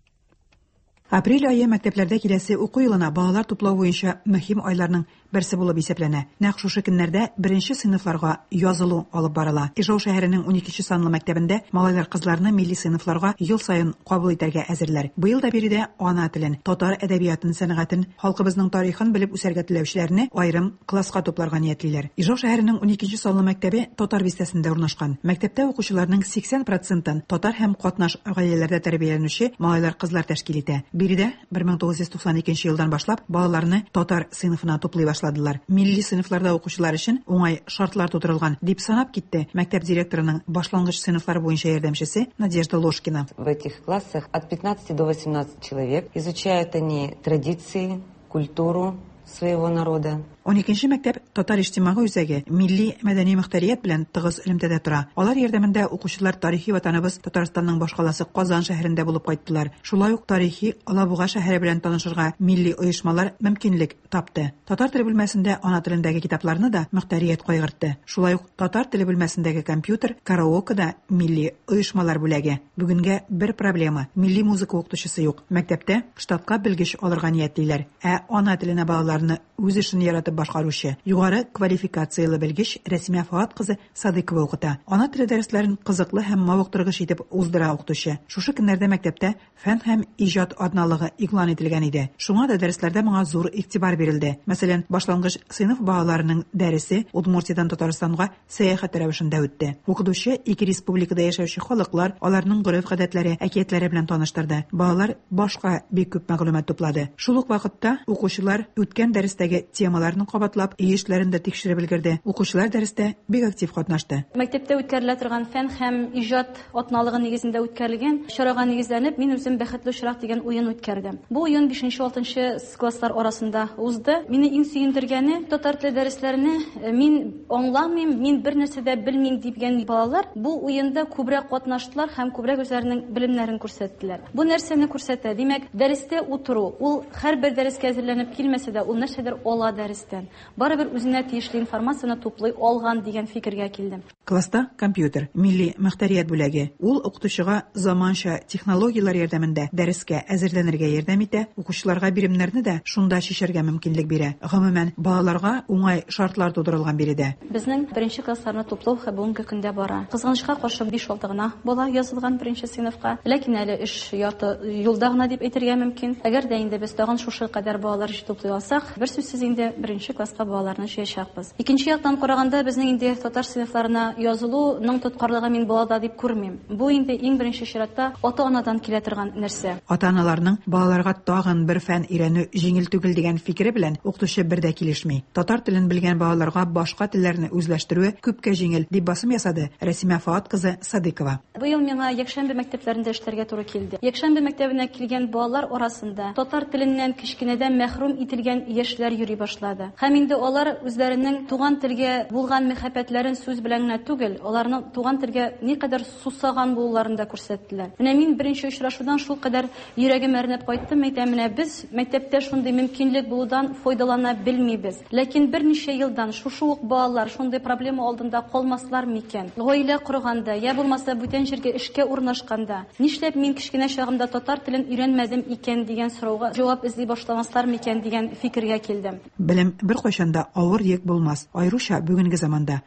Апрель айы мәктәпләрдә киләсе уку елына балалар туплау буенча мөһим айларның берсе булып исәпләнә. Нәкъ шушы көннәрдә беренче сыйныфларга язылу алып барыла. Ижау шәһәренең уникенче санлы мәктәбендә малайлар кызларны милли сыйныфларга ел саен кабул итәргә әзерләр. Быел да биредә ана телен, татар әдәбиятын, сәнгатен, халкыбызның тарихын белеп үсәргә теләүчеләрне аерым класска тупларга ниятлиләр. Ижау шәһәренең уникенче санлы мәктәбе татар бистәсендә урнашкан. Мәктәптә укучыларның сиксән процентын татар һәм катнаш гаиләләрдә тәрбияләнүче малайлар кызлар тәшкил итә. Биредә бер мең тугыз йөз туксан икенче елдан башлап балаларны татар сыйныфына туплый башладылар. Милли сыйныфларда укучылар өчен уңай шартлар тудырылган, дип санап китте мәктәп директорының башлангыч сыйныфлар буенча ярдәмчесе Надежда Ложкина. В этих классах от пятнадцати до восемнадцати человек. Изучают они традиции, культуру своего народа. Уникенче мәктәп татар иҗтимагый үзәге милли мәдәни мөхтәрият белән тыгыз элемтәдә тора. Алар ярдәмендә укучылар тарихи ватаныбыз Татарстанның башкаласы Казан шәһәрендә булып кайттылар. Шулай ук тарихи Алабуга шәһәре белән танышырга милли оешмалар мөмкинлек тапты. Татар теле бүлмәсендә ана телендәге китапларны да мөхтәрият кайгыртты. Шулай ук татар теле бүлмәсендәге компьютер, караоке да милли оешмалар бүләге. Бүгенгә бер проблема: милли музыка укытучысы юк. Мәктәптә штатка белгеч алырга ниятлиләр. Ә ана теленә балаларны үз эшен яратып башкаручы югары квалификациялы белгеч Рәсимә Фаат кызы Садыкова укыта. Ана теле дәресләрен кызыклы һәм мавыктыргыч итеп уздыра укытучы. Шушы көннәрдә мәктәптә фән һәм иҗат атналыгы игълан ителгән иде. Шуңа да дәресләрдә моңа зур игътибар бирелде. Мәсәлән, башлангыч сыйныф балаларының дәресе Удмуртиядан Татарстанга сәяхәт рәвешендә үтте. Укытучы ике республикада яшәүче халыклар, аларның гореф-гадәтләре, әкиятләре белән таныштырды. Балалар башка бик күп мәгълүмат туплады. Шул ук вакытта укучылар үткән дәрестәге темаларны кабатлап, өй эшләрен дә тикшереп өлгерде. Укучылар дәрестә бик актив катнашты. Мәктәптә үткәрелә торган фән һәм иҗат атналыгы нигезендә үткәрелгән чарага нигезләнеп, мин үзем Бәхетле очрак дигән уен үткәрдем. Бу уен бишенче-алтынчы класслар арасында узды. Мине иң сөендергәне, татар теле дәресләренә мин аңламыйм, мин бер нәрсә дә белмим дигән балалар бу уенда күбрәк катнаштылар һәм күбрәк үзләренең белемнәрен күрсәттеләр. Бу нәрсәне күрсәтә? Димәк, дәрестә утыру, ул һәрбер дәрескә әзерләнеп килмәсә дә, ул ул нәрсәдер ала дәрестән. Барыбер үзенә тиешле информацияне туплый алган дигән фикергә килдем. Класста компьютер, милли мөхтәрият бүләге. Ул укытучыга заманча технологияләр ярдәмендә дәрескә әзерләнергә ярдәм итә, укучыларга биремнәрне дә шунда чишәргә мөмкинлек бирә. Гомумән, балаларга уңай шартлар тудырылган биредә. Безнең беренче классларны туплау бүгенге көндә бара. Кызганычка каршы биш-алты гына бала язылган беренче сыйныфка. Ләкин әле эш ярты юлда гына дип әйтергә мөмкин. Әгәр дә инде без тагын шушы кадәр балалар туплый алсак, бер сүзсез инде беренче класска балаларны җыячакбыз. Икенче яктан караганда, безнең инде татар сыйныфларына язылуның тоткарлыгы мин балада дип күрмим. Бу инде иң беренче чиратта ата-анадан килә торган нәрсә. Ата-аналарның балаларга тагын бер фән өйрәнү җиңел түгел дигән фикере белән укытучы бер дә килешми. Татар телен белгән балаларга башка телләрне үзләштерүе күпкә җиңел, дип басым ясады Рәсимә Фаат кызы Садыкова. Быел миңа якшәмбе мәктәпләрендә эшләргә туры килде. Якшәмбе мәктәбенә килгән балалар арасында татар теленнән кечкенәдән мәхрүм ителгән яшьләр йөри башлады. Һәм инде алар үзләренең туган телгә булган мәхәббәтләрен сүз белән генә түгел, аларның туган телгә никадәр сусаган булуларын да күрсәттеләр. Менә мин беренче очрашудан шул кадәр йөрәгем әрнеп кайттым, әйтәм, менә без мәктәптә шундый мөмкинлек булудан файдалана белмибез. Ләкин берничә елдан шушы ук балалар шундый проблема алдында калмаслар микән? Гаилә корганда, я булмаса бүтән җиргә эшкә урнашканда, нишләп мин кечкенә чагымда татар телен өйрәнмәдем икән дигән сорауга җавап эзли башламаслар микән дигән фикергә килдем. Белем беркайчан да авыр йөк булмас, аеруча бүгенге заманда.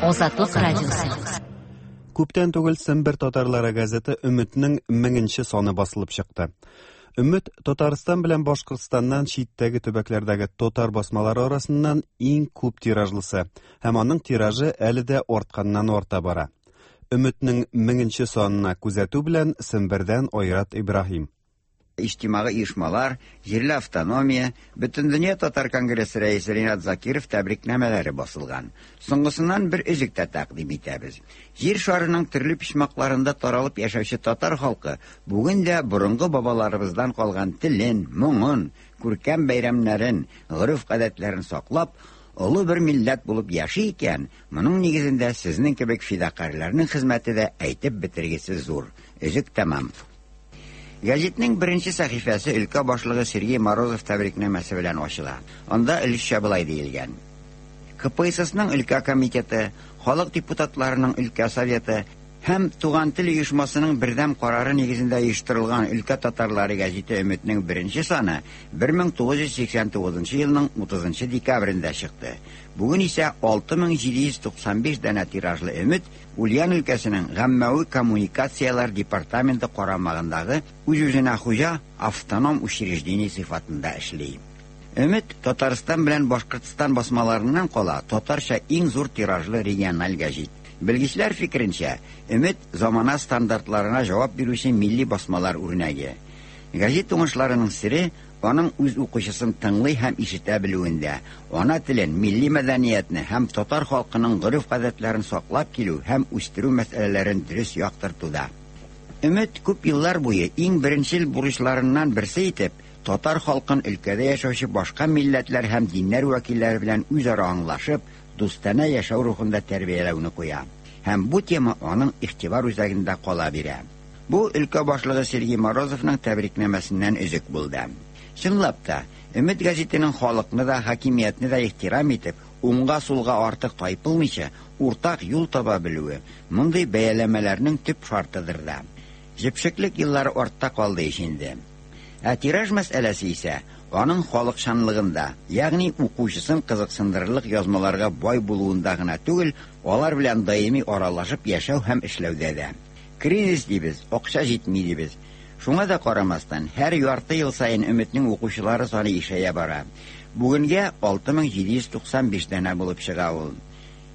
Азатлык радиосы. Күптән түгел Сембер татарлары газеты Өметнең меңенче саны басылып чыкты. Өмет Татарстан белән Башкортстаннан читтәге төбәкләрдәге татар басмалары арасыннан иң күп тиражлысы һәм аның тиражы әле дә артканнан арта бара. Өметнең меңенче санына күзәтү белән Сембердән Айрат Ибраһим. Иҗтимагый оешмалар, җирле автономия, Бөтендөнья татар конгрессы рәисе Ринат Закиров тәбрикнамәләре басылган. Соңгысыннан бер өзек тә тәкъдим итәбез. Җир шарының төрле почмакларында таралып яшәүче татар халкы бүген дә борынгы бабаларыбыздан калган телен, моңын, күркәм бәйрәмнәрен, гореф-гадәтләрен саклап, олы бер милләт булып яши икән, моның нигезендә сезнең кебек фидакарьләрнең хезмәте дә әйтеп бетергесез зур. Өзек тәмам. Гәзитнең беренче сәхифәсе өлкә башлыгы Сергей Морозов тәбрикнамәсе белән ачыла. Анда өлешчә болай диелгән: К П С Сның өлкә комитеты, халык депутатларының өлкә советы һәм Туган тел оешмасының бердәм карары нигезендә оештырылган Өлкә татарлары гәзите Өметнең беренче саны бер мең тугыз йөз сиксән тугызынчы елның утызынчы декабрендә чыкты. Бүген исә алты мең җиде йөз туксан биш данә тиражлы Өмет Ульян өлкәсенең Гаммәви коммуникацияләр департаменты карамагындагы үз-үзенә хуҗа автоном учреждение сыйфатында эшли. Өмет Татарстан белән Башкортстан басмаларыннан кала татарча иң зур тиражлы региональ гәзит. Белгечләр фикеренчә, Өмет замана стандартларына җавап бирүче милли басмалар үрнәге. Гәзит уңышларының сере аның үз укучысын тыңлый һәм ишетә белүендә, ана телен, милли мәдәниятне һәм татар халкының гореф-гадәтләрен саклап килү һәм үстерү мәсьәләләрен дөрес яктыртуда. Өмет күп еллар буе иң беренчел бурычларыннан берсе итеп татар халкын өлкәдә яшәүче башка милләтләр һәм диннәр вәкилләре белән үзара аңлашып, дустанә яшәү рухында тәрбияләүне куя. Һәм бу тема аның игътибар үзәгендә кала бирә. Бу өлкә башлыгы Сергей Морозовның тәбрикнамәсеннән өзек булды. Чынлап та, Өмет гәзитенең халыкны да, хакимиятне дә ихтирам итеп, уңга-сулга артык тайпылмыйча, уртак юл таба белүе мондый бәяләмәләрнең төп шартыдыр да. Җепшеклек еллары артта калды ич инде. Ә тираж мәсьәләсе исә аның халыкчанлыгында, ягъни укучысын кызыксындырырлык язмаларга бай булуында гына түгел, алар белән даими аралашып яшәү һәм эшләүдә дә. Кризис дибез, акча җитми дибез. Шуңа да карамастан, һәр ярты ел саен Өметнең укучылары саны ишәя бара. Бүгенгә алты мең җиде йөз туксан биш данә булып чыга ул.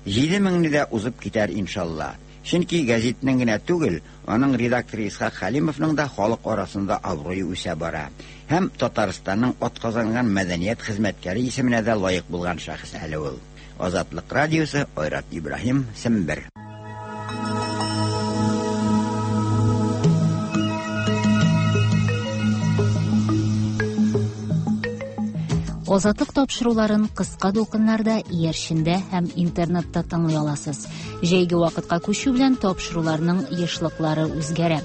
Җиде меңне дә узып китәр иншалла. Чөнки гәзитнең генә түгел, аның редакторы Исхак Хәлимовның да халык арасында абруе үсә бара. Һәм Татарстанның атказанган мәдәният хезмәткәре исеменә дә лаек булган шәхес әле ул. Азатлык радиосы, Айрат Ибраһим, Сембер. Азатлык тапшыруларын кыска дулкыннарда, иярчендә һәм интернетта тыңлый аласыз. Җәйге вакытка күчү белән тапшыруларның ешлыклары үзгәрә.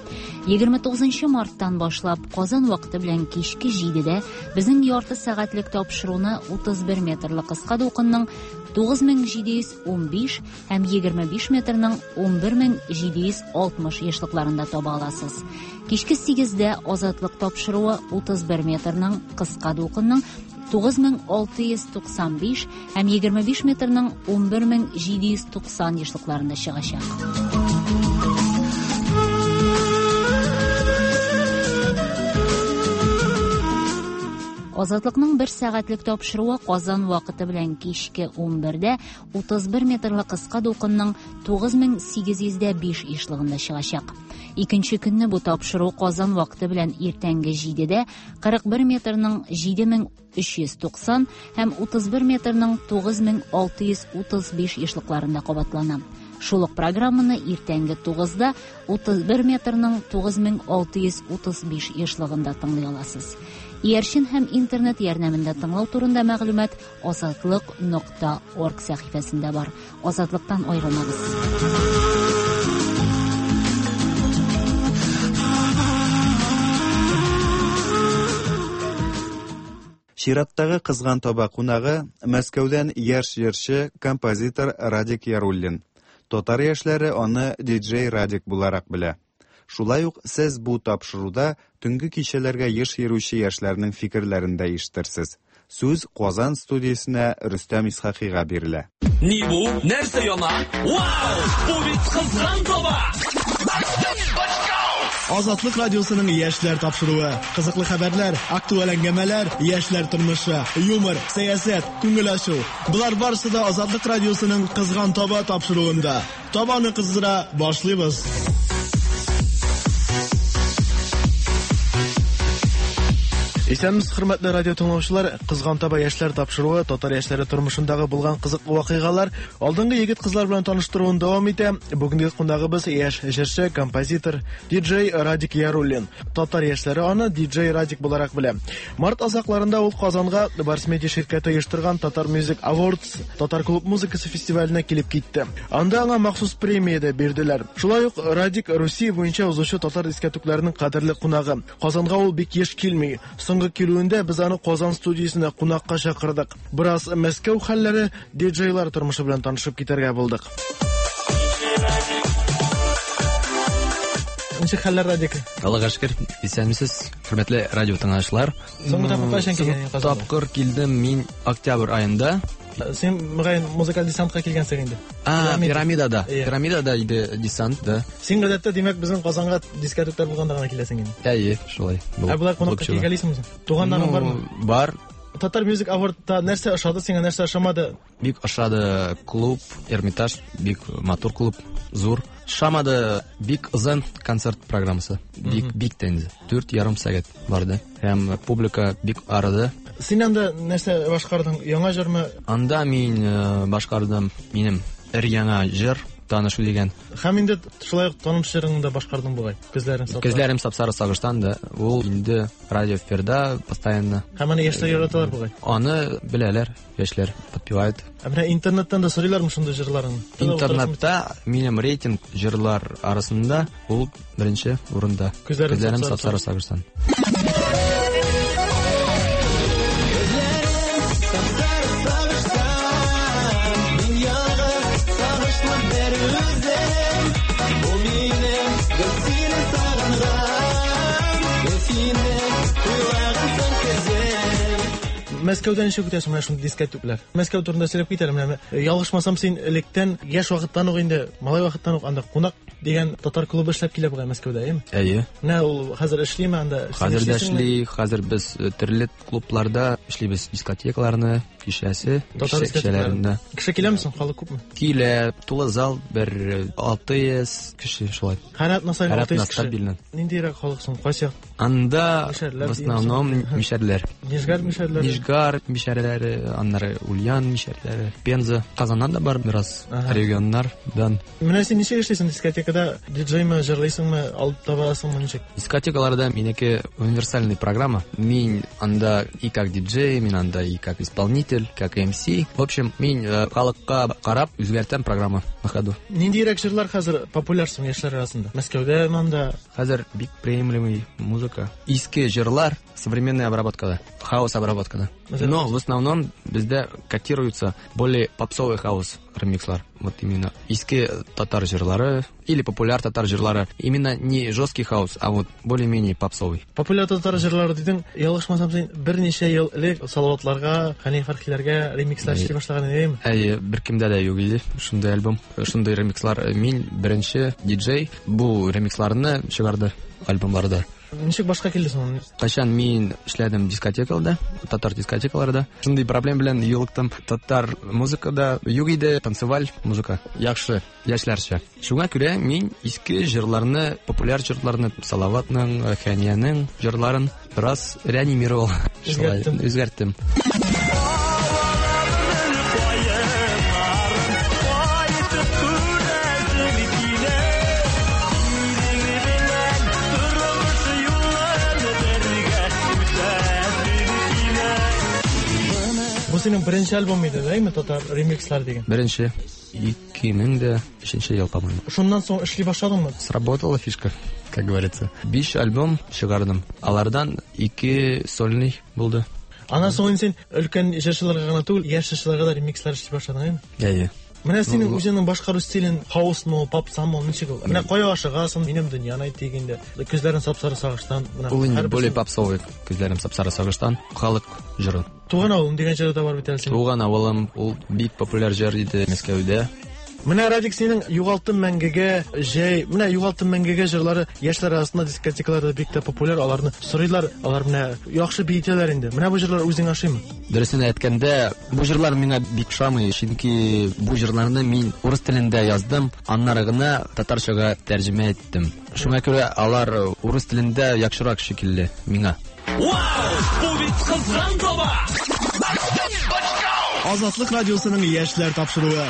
егерме тугызынчы марттан башлап Казан вакыты белән кичке җидедә безнең ярты сәгатьлек тапшыруны утыз бер метрлы кыска дулкынның тугыз мең җиде йөз унбиш һәм егерме биш метрның унбер мең җиде йөз алтмыш ешлыкларында таба аласыз. Кичке сигездә Азатлык тапшыруы утыз бер метрның кыска дулкынның тугыз мең алты йөз туксан биш һәм егерме биш метрның унбер мең җиде йөз туксан ешлыкларында чыгачак. Азатлыкның бер сәгатьлек тапшыруы Казан вакыты белән кичке унбердә утыз бер метрлы кыска дулкынның тугыз мең сигез йөз дә биш ешлыгында чыгачак. Икенче көнне бу тапшыру Казан вакыты белән иртәнге җидедә кырык бер метрның җиде мең өч йөз туксан һәм утыз бер метрның тугыз мең алты йөз утыз биш ешлыкларында кабатлана. Шул ук программаны иртәнге тугызда утыз бер метрның тугыз мең алты йөз утыз биш ешлыгында тыңлый аласыз. Иярчен һәм интернет ярдәмендә тыңлау турында мәгълүмат азатлык нокта орг сәхифәсендә бар. Азатлыктан аерылмагыз. Чираттагы кызган таба кунагы Мәскәүдән яшь җырчы, композитор Радик Яруллин. Татар яшьләре аны диджей Радик буларак белә. Шулай ук сез бу тапшыруда төнге кичәләргә еш йөрүче яшьләрнең фикерләрен дә ишетерсез. Сүз Казан студиясенә Рөстәм Исхакыйга бирелә. Ни бу? Нәрсә яна? Вау! Бу бит кызган таба! Азатлык радиосының яшьләр тапшыруы. Кызыклы хәбәрләр, актуаль әңгәмәләр, яшьләр тормышы, юмор, сәясәт, күңел ачу. Болар барысы да Азатлык радиосының кызган таба тапшыруында. Табаны кыздыра башлыйбыз. Исәнмесез, хөрмәтле радио тыңлаучылар. Кызган таба яшьләр тапшыруы татар яшьләре тормышындагы булган кызыклы вакыйгалар, алдынгы егет-кызлар белән таныштыруын дәвам итә. Бүгенге кунагыбыз яшь җырчы, композитор, диджей Радик Яруллин. Татар яшьләре аны диджей Радик буларак белә. Март азакларында ул Казанга Барс Медиа ширкәте оештырган Татар Music Awards татар клуб музыкасы фестиваленә килеп китте. Анда аңа махсус премия дә бирделәр. Шулай ук Радик Русия буенча узучы татар дискәтүкләренең кадерле кунагы. Казанга ул бик еш килми. Соңгы килүендә без аны Казан студиясенә кунакка чакырдык. Бераз Мәскәү хәлләре, диджейлар тормышы белән танышып китәргә булдык. Ничек хәлләр, Радик? Аллага шөкер, исәнмесез, хөрмәтле радио тыңлаучылар. Соңгы тапкыр кайчан килгән Казанга? Тапкыр килдем мин октябрь аенда. Син мөгаен музыкаль десантка килгәнсең инде. А, пирамидада. Пирамидада иде десант, да. Син гадәттә, димәк, безнең Казанга дискәтүкләр булганда гына киләсең инде. Әйе, шулай. Ә болай кунакка килгәлисеңме? Туганнарың бармы? Бар. Татар Music Award'та нәрсә ошады сиңа, нәрсә ошамады? Бик ошады клуб, Эрмитаж, бик матур клуб, зур. Ошамады бик озын концерт программасы. Бик бик тә инде. Дүрт ярым сәгать барды. Һәм публика бик арыды. Син анда нәрсә башкардың? Яңа җырмы? Анда мин башкардым минем эр яңа җыр, танышу дигән. Һәм инде шулай ук таныш җырыңны да башкардың бугай. Күзләрем сапсары. Күзләрем сапсары сагыштан да. Ул инде радио эфирда постоянно. Һәм аны яшьләр яраталар бугай. Аны беләләр, яшьләр подпевают. Ә менә интернеттан да сорыйлармы шундый җырларыңны? Интернетта минем рейтинг җырлар арасында ул беренче урында. Күзләрем сапсары сагыштан. Мәскәүдән ничек үтәсең менә шундый дискәтүкләр? Мәскәү турында сөйләп китәлем менә. Ялгышмасам, син электән яшь вакыттан ук инде, малай вакыттан ук анда кунак дигән татар клубы эшләп килә бугай Мәскәүдә, әйеме? Әйе. Менә ул хәзер эшлиме анда? Хәзер дә эшли, хәзер без төрле клубларда эшлибез, дискотекаларны, кичәсе, кичәләрендә. Кеше киләме соң, халык күпме? Килә, тулы зал бер алты йөз кеше шулай. Һәр атна саен алты йөз кеше. Ниндирәк халык соң, кайсы як? Анда в основном мишәрләр. Нижгар мишәрләре. Нижгар мишәрләре, аннары Ульян мишәрләре, Пенза, Казаннан да бар бераз регионнардан. Менә син ничек эшлисең дискотекада? Дискотекада диджейме, җырлыйсыңмы, алып табасыңмы, ничек? Дискотекаларда минеке универсальный программа. Мин анда и как диджей, мин анда и как исполнитель, как эм си. В общем, мин халыкка карап үзгәртәм программа на ходу. Ниндирәк җырлар хәзер популяр соң яшьләр арасында? Мәскәүдә монда хәзер бик приемлемый музыка. Иске җырлар современная обработкада, хаус обработкада. Но в основном бездә котируются более попсовый хаус ремикслар. Вот именно иске татар җырлары или популяр татар җырлары. Именно не жесткий хаус, а вот более-менее попсовый. Популяр татар җырлары дидең, ялгышмасам син берничә ел элек Салаватларга, Хәни Фәрхиләргә ремикслар эшли башлаган идең. Әйе, беркемдә дә юк иде шундый альбом, шундый ремикслар. Мин беренче диджей бу ремиксларны чыгарды альбомларда. Ничек башка килде соң? Кайчан мин эшләдем дискотекаларда, татар дискотекаларда. Шундый проблем белән юлыктым. Татар музыкада юк иде, танцеваль музыка. Яхшы, яшьләрчә. Шуңа күрә мин иске җырларны, популяр җырларны, Салаватның, Хәниянең җырларын бераз реанимировал. Үзгәрттем. Үзгәрттем. Бу синең беренче альбом иде, әйме, татар ремикслар дигән? Беренче. ике мең дә өченче ел, по-моему. Шуннан соң эшли башладыңмы? Сработала фишка, как говорится. Биш альбом чыгардым. Алардан ике сольный булды. Аннан соң син өлкән җырчыларга гына түгел, яшь җырчыларга да ремикслар эшли башладың, әйме? Әйе. Менә синең үзеңнең башкару стилен хаусмы, попсамы, ничек ул? Менә кая ашыгасың, минем дөньяны әйт дигәндә, күзләрем сап-сары сагыштан, менә ул инде более попсовый, күзләрем сап-сары сагыштан, халык җыры. Туган авылым дигән җыр да бар бит әле синең. Туган авылым, ул бик популяр җыр иде Мәскәүдә. Менә Радик, синең Югалттым мәңгегә, җәй, менә Югалттым мәңгегә җырлары яшьләр арасында дискотекаларда бик тә популяр, аларны сорыйлар, алар менә яхшы биетәләр инде. Менә бу җырлар үзең ашыймы? Дөресен әйткәндә, бу җырлар миңа бик ошамый, чөнки бу җырларны мин урыс телендә яздым, аннары гына татарчага тәрҗемә иттем. Шуңа күрә алар урыс телендә яхшырак шикелле миңа. Вау! Бу бит кызган таба! Азатлык радиосының яшьләр тапшыруы.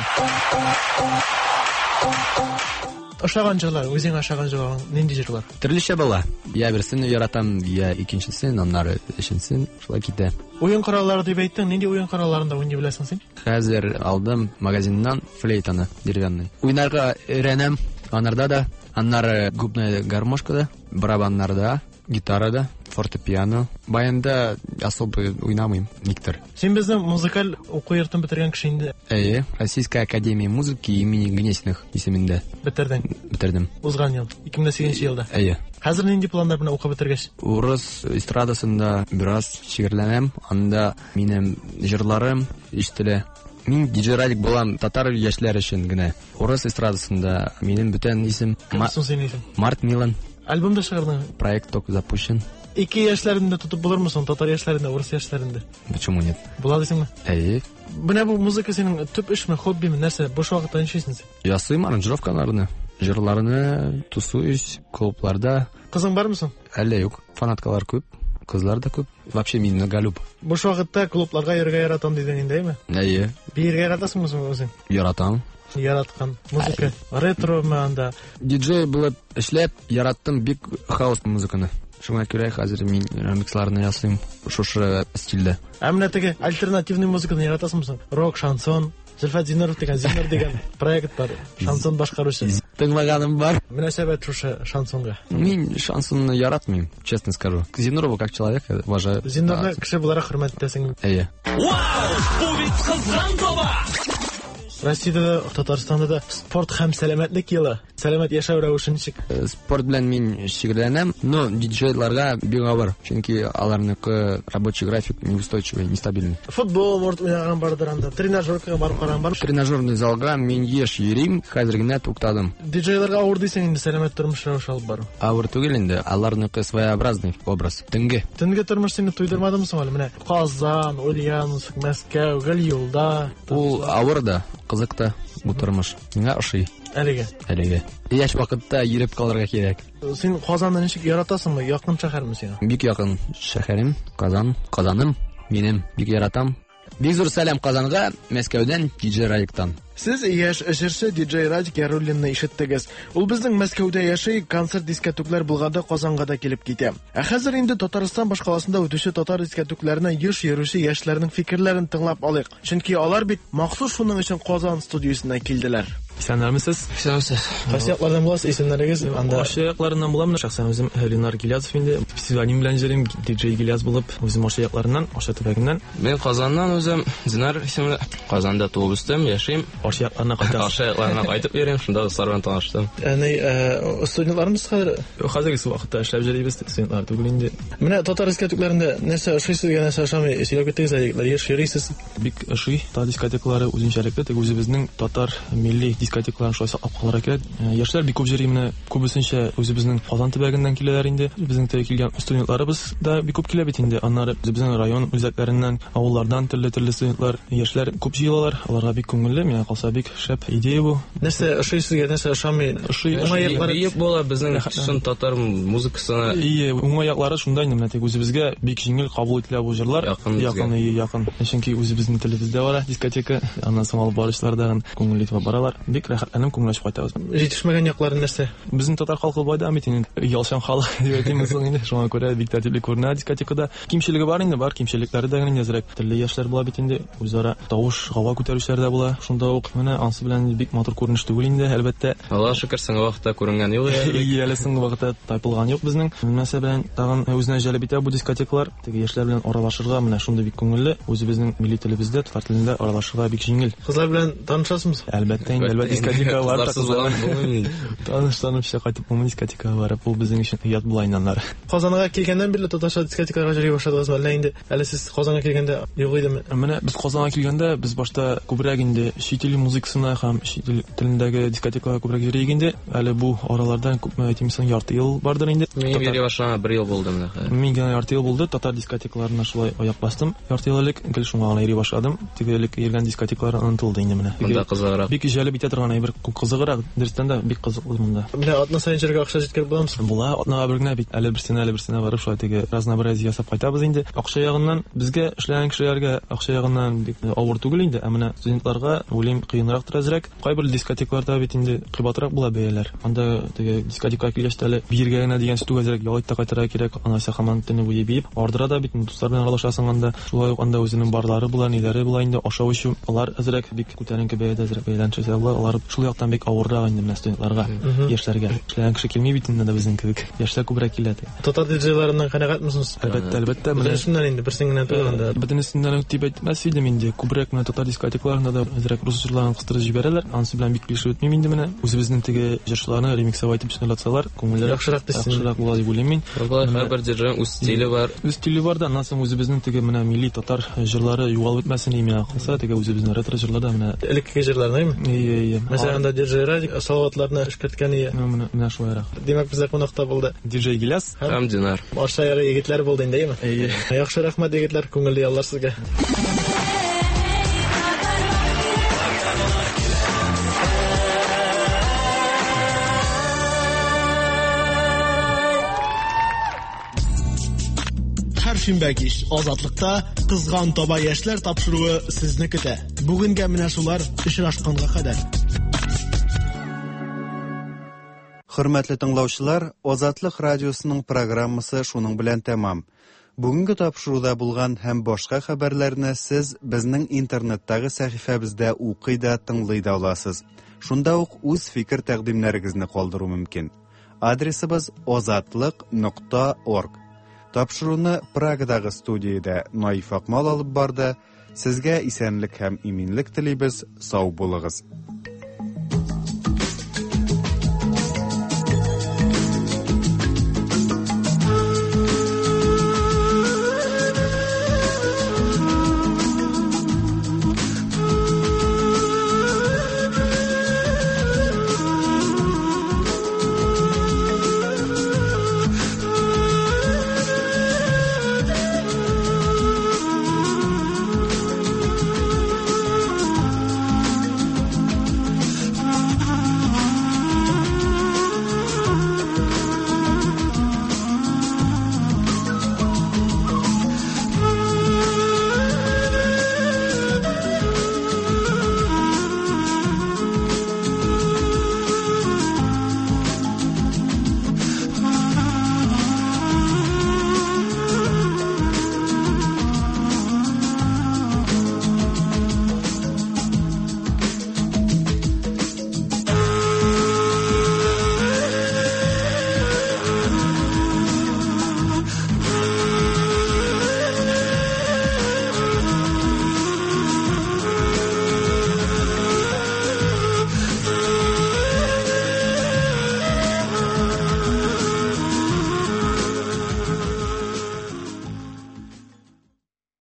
Ошаган җырлар, үзең ашаган җырлар, нинди җырлар? Төрлечә була. Я берсен яратам, я икенчесен, аннары өченчесен, шулай китә. Уен кораллары дип әйттең, нинди уен коралларында уйный беләсең син? Хәзер алдым магазиннан флейтаны, деревянный. Уйнарга өйрәнәм, анарда да, аннары губная гармошкада, барабаннарда, гитарада, фортепиано. Баянда особо уйнамыйм, никтер. Син безнең музыкаль уку йортын бетергән кеше инде. Әйе, Российская академия музыки имени Гнесиных исемендә. Бетердең? Бетердем. Узган ел, ике мең сигезенче елда. Әйе. Хәзер нинди планнар белән укып бетергәч? Урыс эстрадасында бераз шигырьләнәм, анда минем җырларым ишетелә. Мин диджей Радик булам татар яшьләр өчен генә. Урыс эстрадасында минем бүтән исем. Кем соң синең исем? Март Милан. Альбом да чыгардың? Проект только запущен. Ике яшьләрендә тотып булырмы соң, татар яшьләрендә, урыс яшьләрендә? Почему нет? Була дисеңме? Әйе. Менә бу музыка синең төп эшме, хоббиме, нәрсә? Буш вакытта нишлисең син? Ясыйм аранжировкаларны, җырларны, тусуюсь клубларда. Кызың бармы соң? Әллә юк. Фанаткалар күп, кызлар да күп. Вообще мин многолюб. Буш вакытта клубларга йөрергә яратам дидең инде, әйме? Әйе. Биергә яратасыңмы соң үзең? Яратам. Яраткан музыка, ретро анда. Диджей булып эшләп, яраттым бик хаус музыканы. Шуңа күрә хәзер мин ремиксларны ясыйм шушы стильдә. Ә менә теге альтернативный музыканы яратасыңмы соң? Рок, шансон, Зөлфәт Зиннуров дигән, Зиннур дигән проект бар. Шансон башкаручы. Тыңлаганым бар. Мөнәсәбәт шушы шансонга. Мин шансонны яратмыйм, честно скажу. Зиннурова как человека уважаю. Зиннурны кеше буларак хөрмәт итәсең. Әйе. Вау! Бу бит кызган таба! Россиядә дә, Татарстанда да спорт һәм сәламәтлек елы. Сәламәт яшәү рәвеше ничек? Спорт белән мин шөгыльләнәм, но диджейларга бик авыр, чөнки аларныкы рабочий график неустойчивый, нестабильный. Футбол может уйнаган бардыр анда, тренажеркага барып караган бар. Тренажерный залга мин еш йөрим, хәзер генә туктадым. Диджейларга авыр дисең инде сәламәт тормыш рәвеше алып бару. Авыр түгел инде, аларныкы своеобразный образ. Төнге. Төнге тормыш сине туйдырмадымы соң әле? Менә Казан, Ульяновск, Мәскәү, гел юлда. Ул авыр да, кызык та бу тормыш. Миңа ошый. Әлегә. Әлегә. Яшь вакытта йөреп калырга кирәк. Син Казанны ничек яратасыңмы? Якын шәһәрме сиңа? Бик якын шәһәрем, Казан, Казаным, минем бик яратам. Бик зур сәлам Казанга, Мәскәүдән, диджей Радиктан. Сез яшь җырчы диджей Радик Яруллинны ишеттегез. Ул безнең Мәскәүдә яши, концерт дискәтүкләр булганда Казанга да килеп китә. Ә хәзер инде Татарстан башкаласында үтүче татар дискәтүкләренә еш йөрүче яшьләрнең фикерләрен тыңлап алыйк. Чөнки алар бит махсус шуның өчен Казан студиясенә килделәр. Исәннәрмесез? Исәнмесез. Кайсы яклардан буласыз? Исемнәрегез анда? Арча якларыннан булам. Шәхсән үзем Ленар Гилязов инде. Псевдоним белән йөрим, диджей Гиляз булып, үзем Арча якларыннан, Арча төбәгеннән. Мин Казаннан үзем, Динар исемле. Казанда туып үстем, яшим. Арча якларына кайтасыз. Арча якларына кайтып йөрим, шунда дуслар белән таныштым. Әни, студентлармыз хәзер? Хәзерге вакытта эшләп йөрибез, студентлар түгел инде. Менә татар дискәтүкләрендә нәрсә ошый сезгә, нәрсә ошамый? Сөйләп киттегез әле, егетләр, еш йөрисез. Бик ошый татар дискотекалары үзенчәлекле, теге үзебезнең татар милли дискотекаларын шулай саклап калырга кирәк. Яшьләр бик күп йөри, менә күбесенчә үзебезнең Казан төбәгеннән киләләр инде. Безнең теге килгән студентларыбыз да бик күп килә бит инде. Аннары үзебезнең район үзәкләреннән, авыллардан төрле-төрле студентлар, яшьләр күп җыелалар. Аларга бик күңелле, миңа калса бик шәп идея бу. Нәрсә ошый сезгә, нәрсә ошамый? Ошый, уңай яклары биеп була безнең чын татар музыкасына. Ие, уңай яклары шунда инде, менә тик үзебезгә бик җиңел кабул ителә бу җырлар. Якын, якын. Чөнки үзебезнең телебездә бар дискотека. Аннан соң алып баручылар да күңелле итеп баралар. Бик рәхәтләнеп күңел ачып кайтабыз. Җитешмәгән яклары нәрсә? Безнең татар халкы байда бит инде, ялчан халык дип әйтим соң инде. Шуңа күрә бик тәртипле күренә дискотекада. Кимчелеге бар инде, бар кимчелекләре дә инде әзрәк. Төрле яшьләр була бит инде, үзара тавыш, гава күтәрүчеләр дә була. Шунда ук менә ансы белән бик матур күренеш түгел инде, әлбәттә. Аллаһ шөкер, соңгы вакытта күренгән юк. Ие, әле соңгы вакытта тайпылган юк безнең. Нәрсә белән тагын үзенә җәлеп итә бу дискотекалар? Теге яшьләр белән аралашырга менә шундый бик күңелле. Үзебезнең милли телебездә, татар телендә аралашырга бик җиңел. Кызлар белән танышасызмы? Әлбәттә инде, әлбәттә дискотекага барып таныш-танышча кайтып булмый дискотекага барып, ул безнең өчен оят була инде аннары. Казанга килгәннән бирле татарча дискотекаларга йөри башладыгызмы, әллә инде әле сез Казанга килгәндә юк идеме? Менә без Казанга килгәндә без башта күбрәк инде чит ил музыкасына һәм чит ил телендәге дискотекаларга күбрәк йөри идек инде. Әле бу аралардан күпме әйтим соң, ярты ел бардыр инде. Мин йөри башлаганга бер ел булды менә хәзер. Мин генә ярты ел булды, татар дискотекаларына шулай аяк бастым. Ярты ел элек гел шуңа гына йөри башладым. Теге элек йөргән дискотекалар онытылды инде менә. Монда кызыграк. Бик җәлеп итә торган әйбер, кызыграк, дөрестән дә бик кызыклы монда. Менә атна саен йөрергә акча җиткереп буламы? Була, атнага бер генә бит. Әле берсенә, әле берсенә барып шулай теге разнообразие ясап кайтабыз инде. Акча ягыннан безгә эшләгән кешеләргә акча ягыннан бик авыр түгел инде, ә менә студентларга уйлыйм кыенрактыр әзрәк. Кайбер дискотекаларда бит инде кыйбатрак була бәяләр. Анда теге дискотекага килгәч әле биергә генә дигән сүз әзрәк ял итә кайтырга кирәк. Анасы һаман төне буе биеп, ардыра да бит дуслар белән аралашасың анда. Шулай ук анда үзенең барлары була, ниләре була инде, ашау эчү. Алар әзрәк бик күтәренке бәядә әзрәк бәяләнчә була. Алар шул яктан бик авыррак инде менә студентларга, яшьләргә. Эшләгән кеше килми бит инде безнең кебек. Яшьләр күбрәк килә. Татар диджейларыннан канәгатьмесез? Әлбәттә, әлбәттә. Бөтенесеннән инде берсен генә түгел анда. Бөтенесеннән үк дип әйтмәс идем инде. Күбрәк менә татар дискотекаларында да әзрәк рус җырларын кыстырып җибәрәләр. Анысы белән бик килешеп бетмим инде менә. Үзебезнең теге җырчыларны ремиксовать итеп җырлатсалар, күңелләр яхшырак дисез. Яхшырак була дип уйлыйм мин. Һәрбер диджейның үз стиле бар. Үз стиле бар да, аннан соң үзебезнең теге менә милли татар җырлары югалып бетмәсен миңа калса, теге үзебезнең ретро җырларда менә элеккеге җырларны, әйме? Ие, ие. Мәсәлән, анда диджей Радик Салаватларны эшкәрткән ие. Менә менә шулайрак. Димәк, бездә кунакта булды диджей Гиляс һәм Динар. Арча ягы егетләр булды инде, әйме? Ие. Яхшы, рәхмәт егетләр, күңелле яллар сезгә. Һәр шимбә кич Азатлыкта Кызган таба яшьләр тапшыруы сезне көтә. Бүгенгә менә шулар, очрашканга кадәр. Хөрмәтле тыңлаучылар, Азатлык радиосының программасы шуның белән тәмам. Бүгенге тапшыруда булган һәм башка хәбәрләрне сез безнең интернеттагы сәхифәбездә укый да, тыңлый да аласыз. Шунда ук үз фикер тәкъдимнәрегезне калдыру мөмкин. Адресыбыз азатлык нокта орг. Тапшыруны Прагадагы студиядә Наиф Акмал алып барды. Сезгә исәнлек һәм иминлек телибез. Сау булыгыз.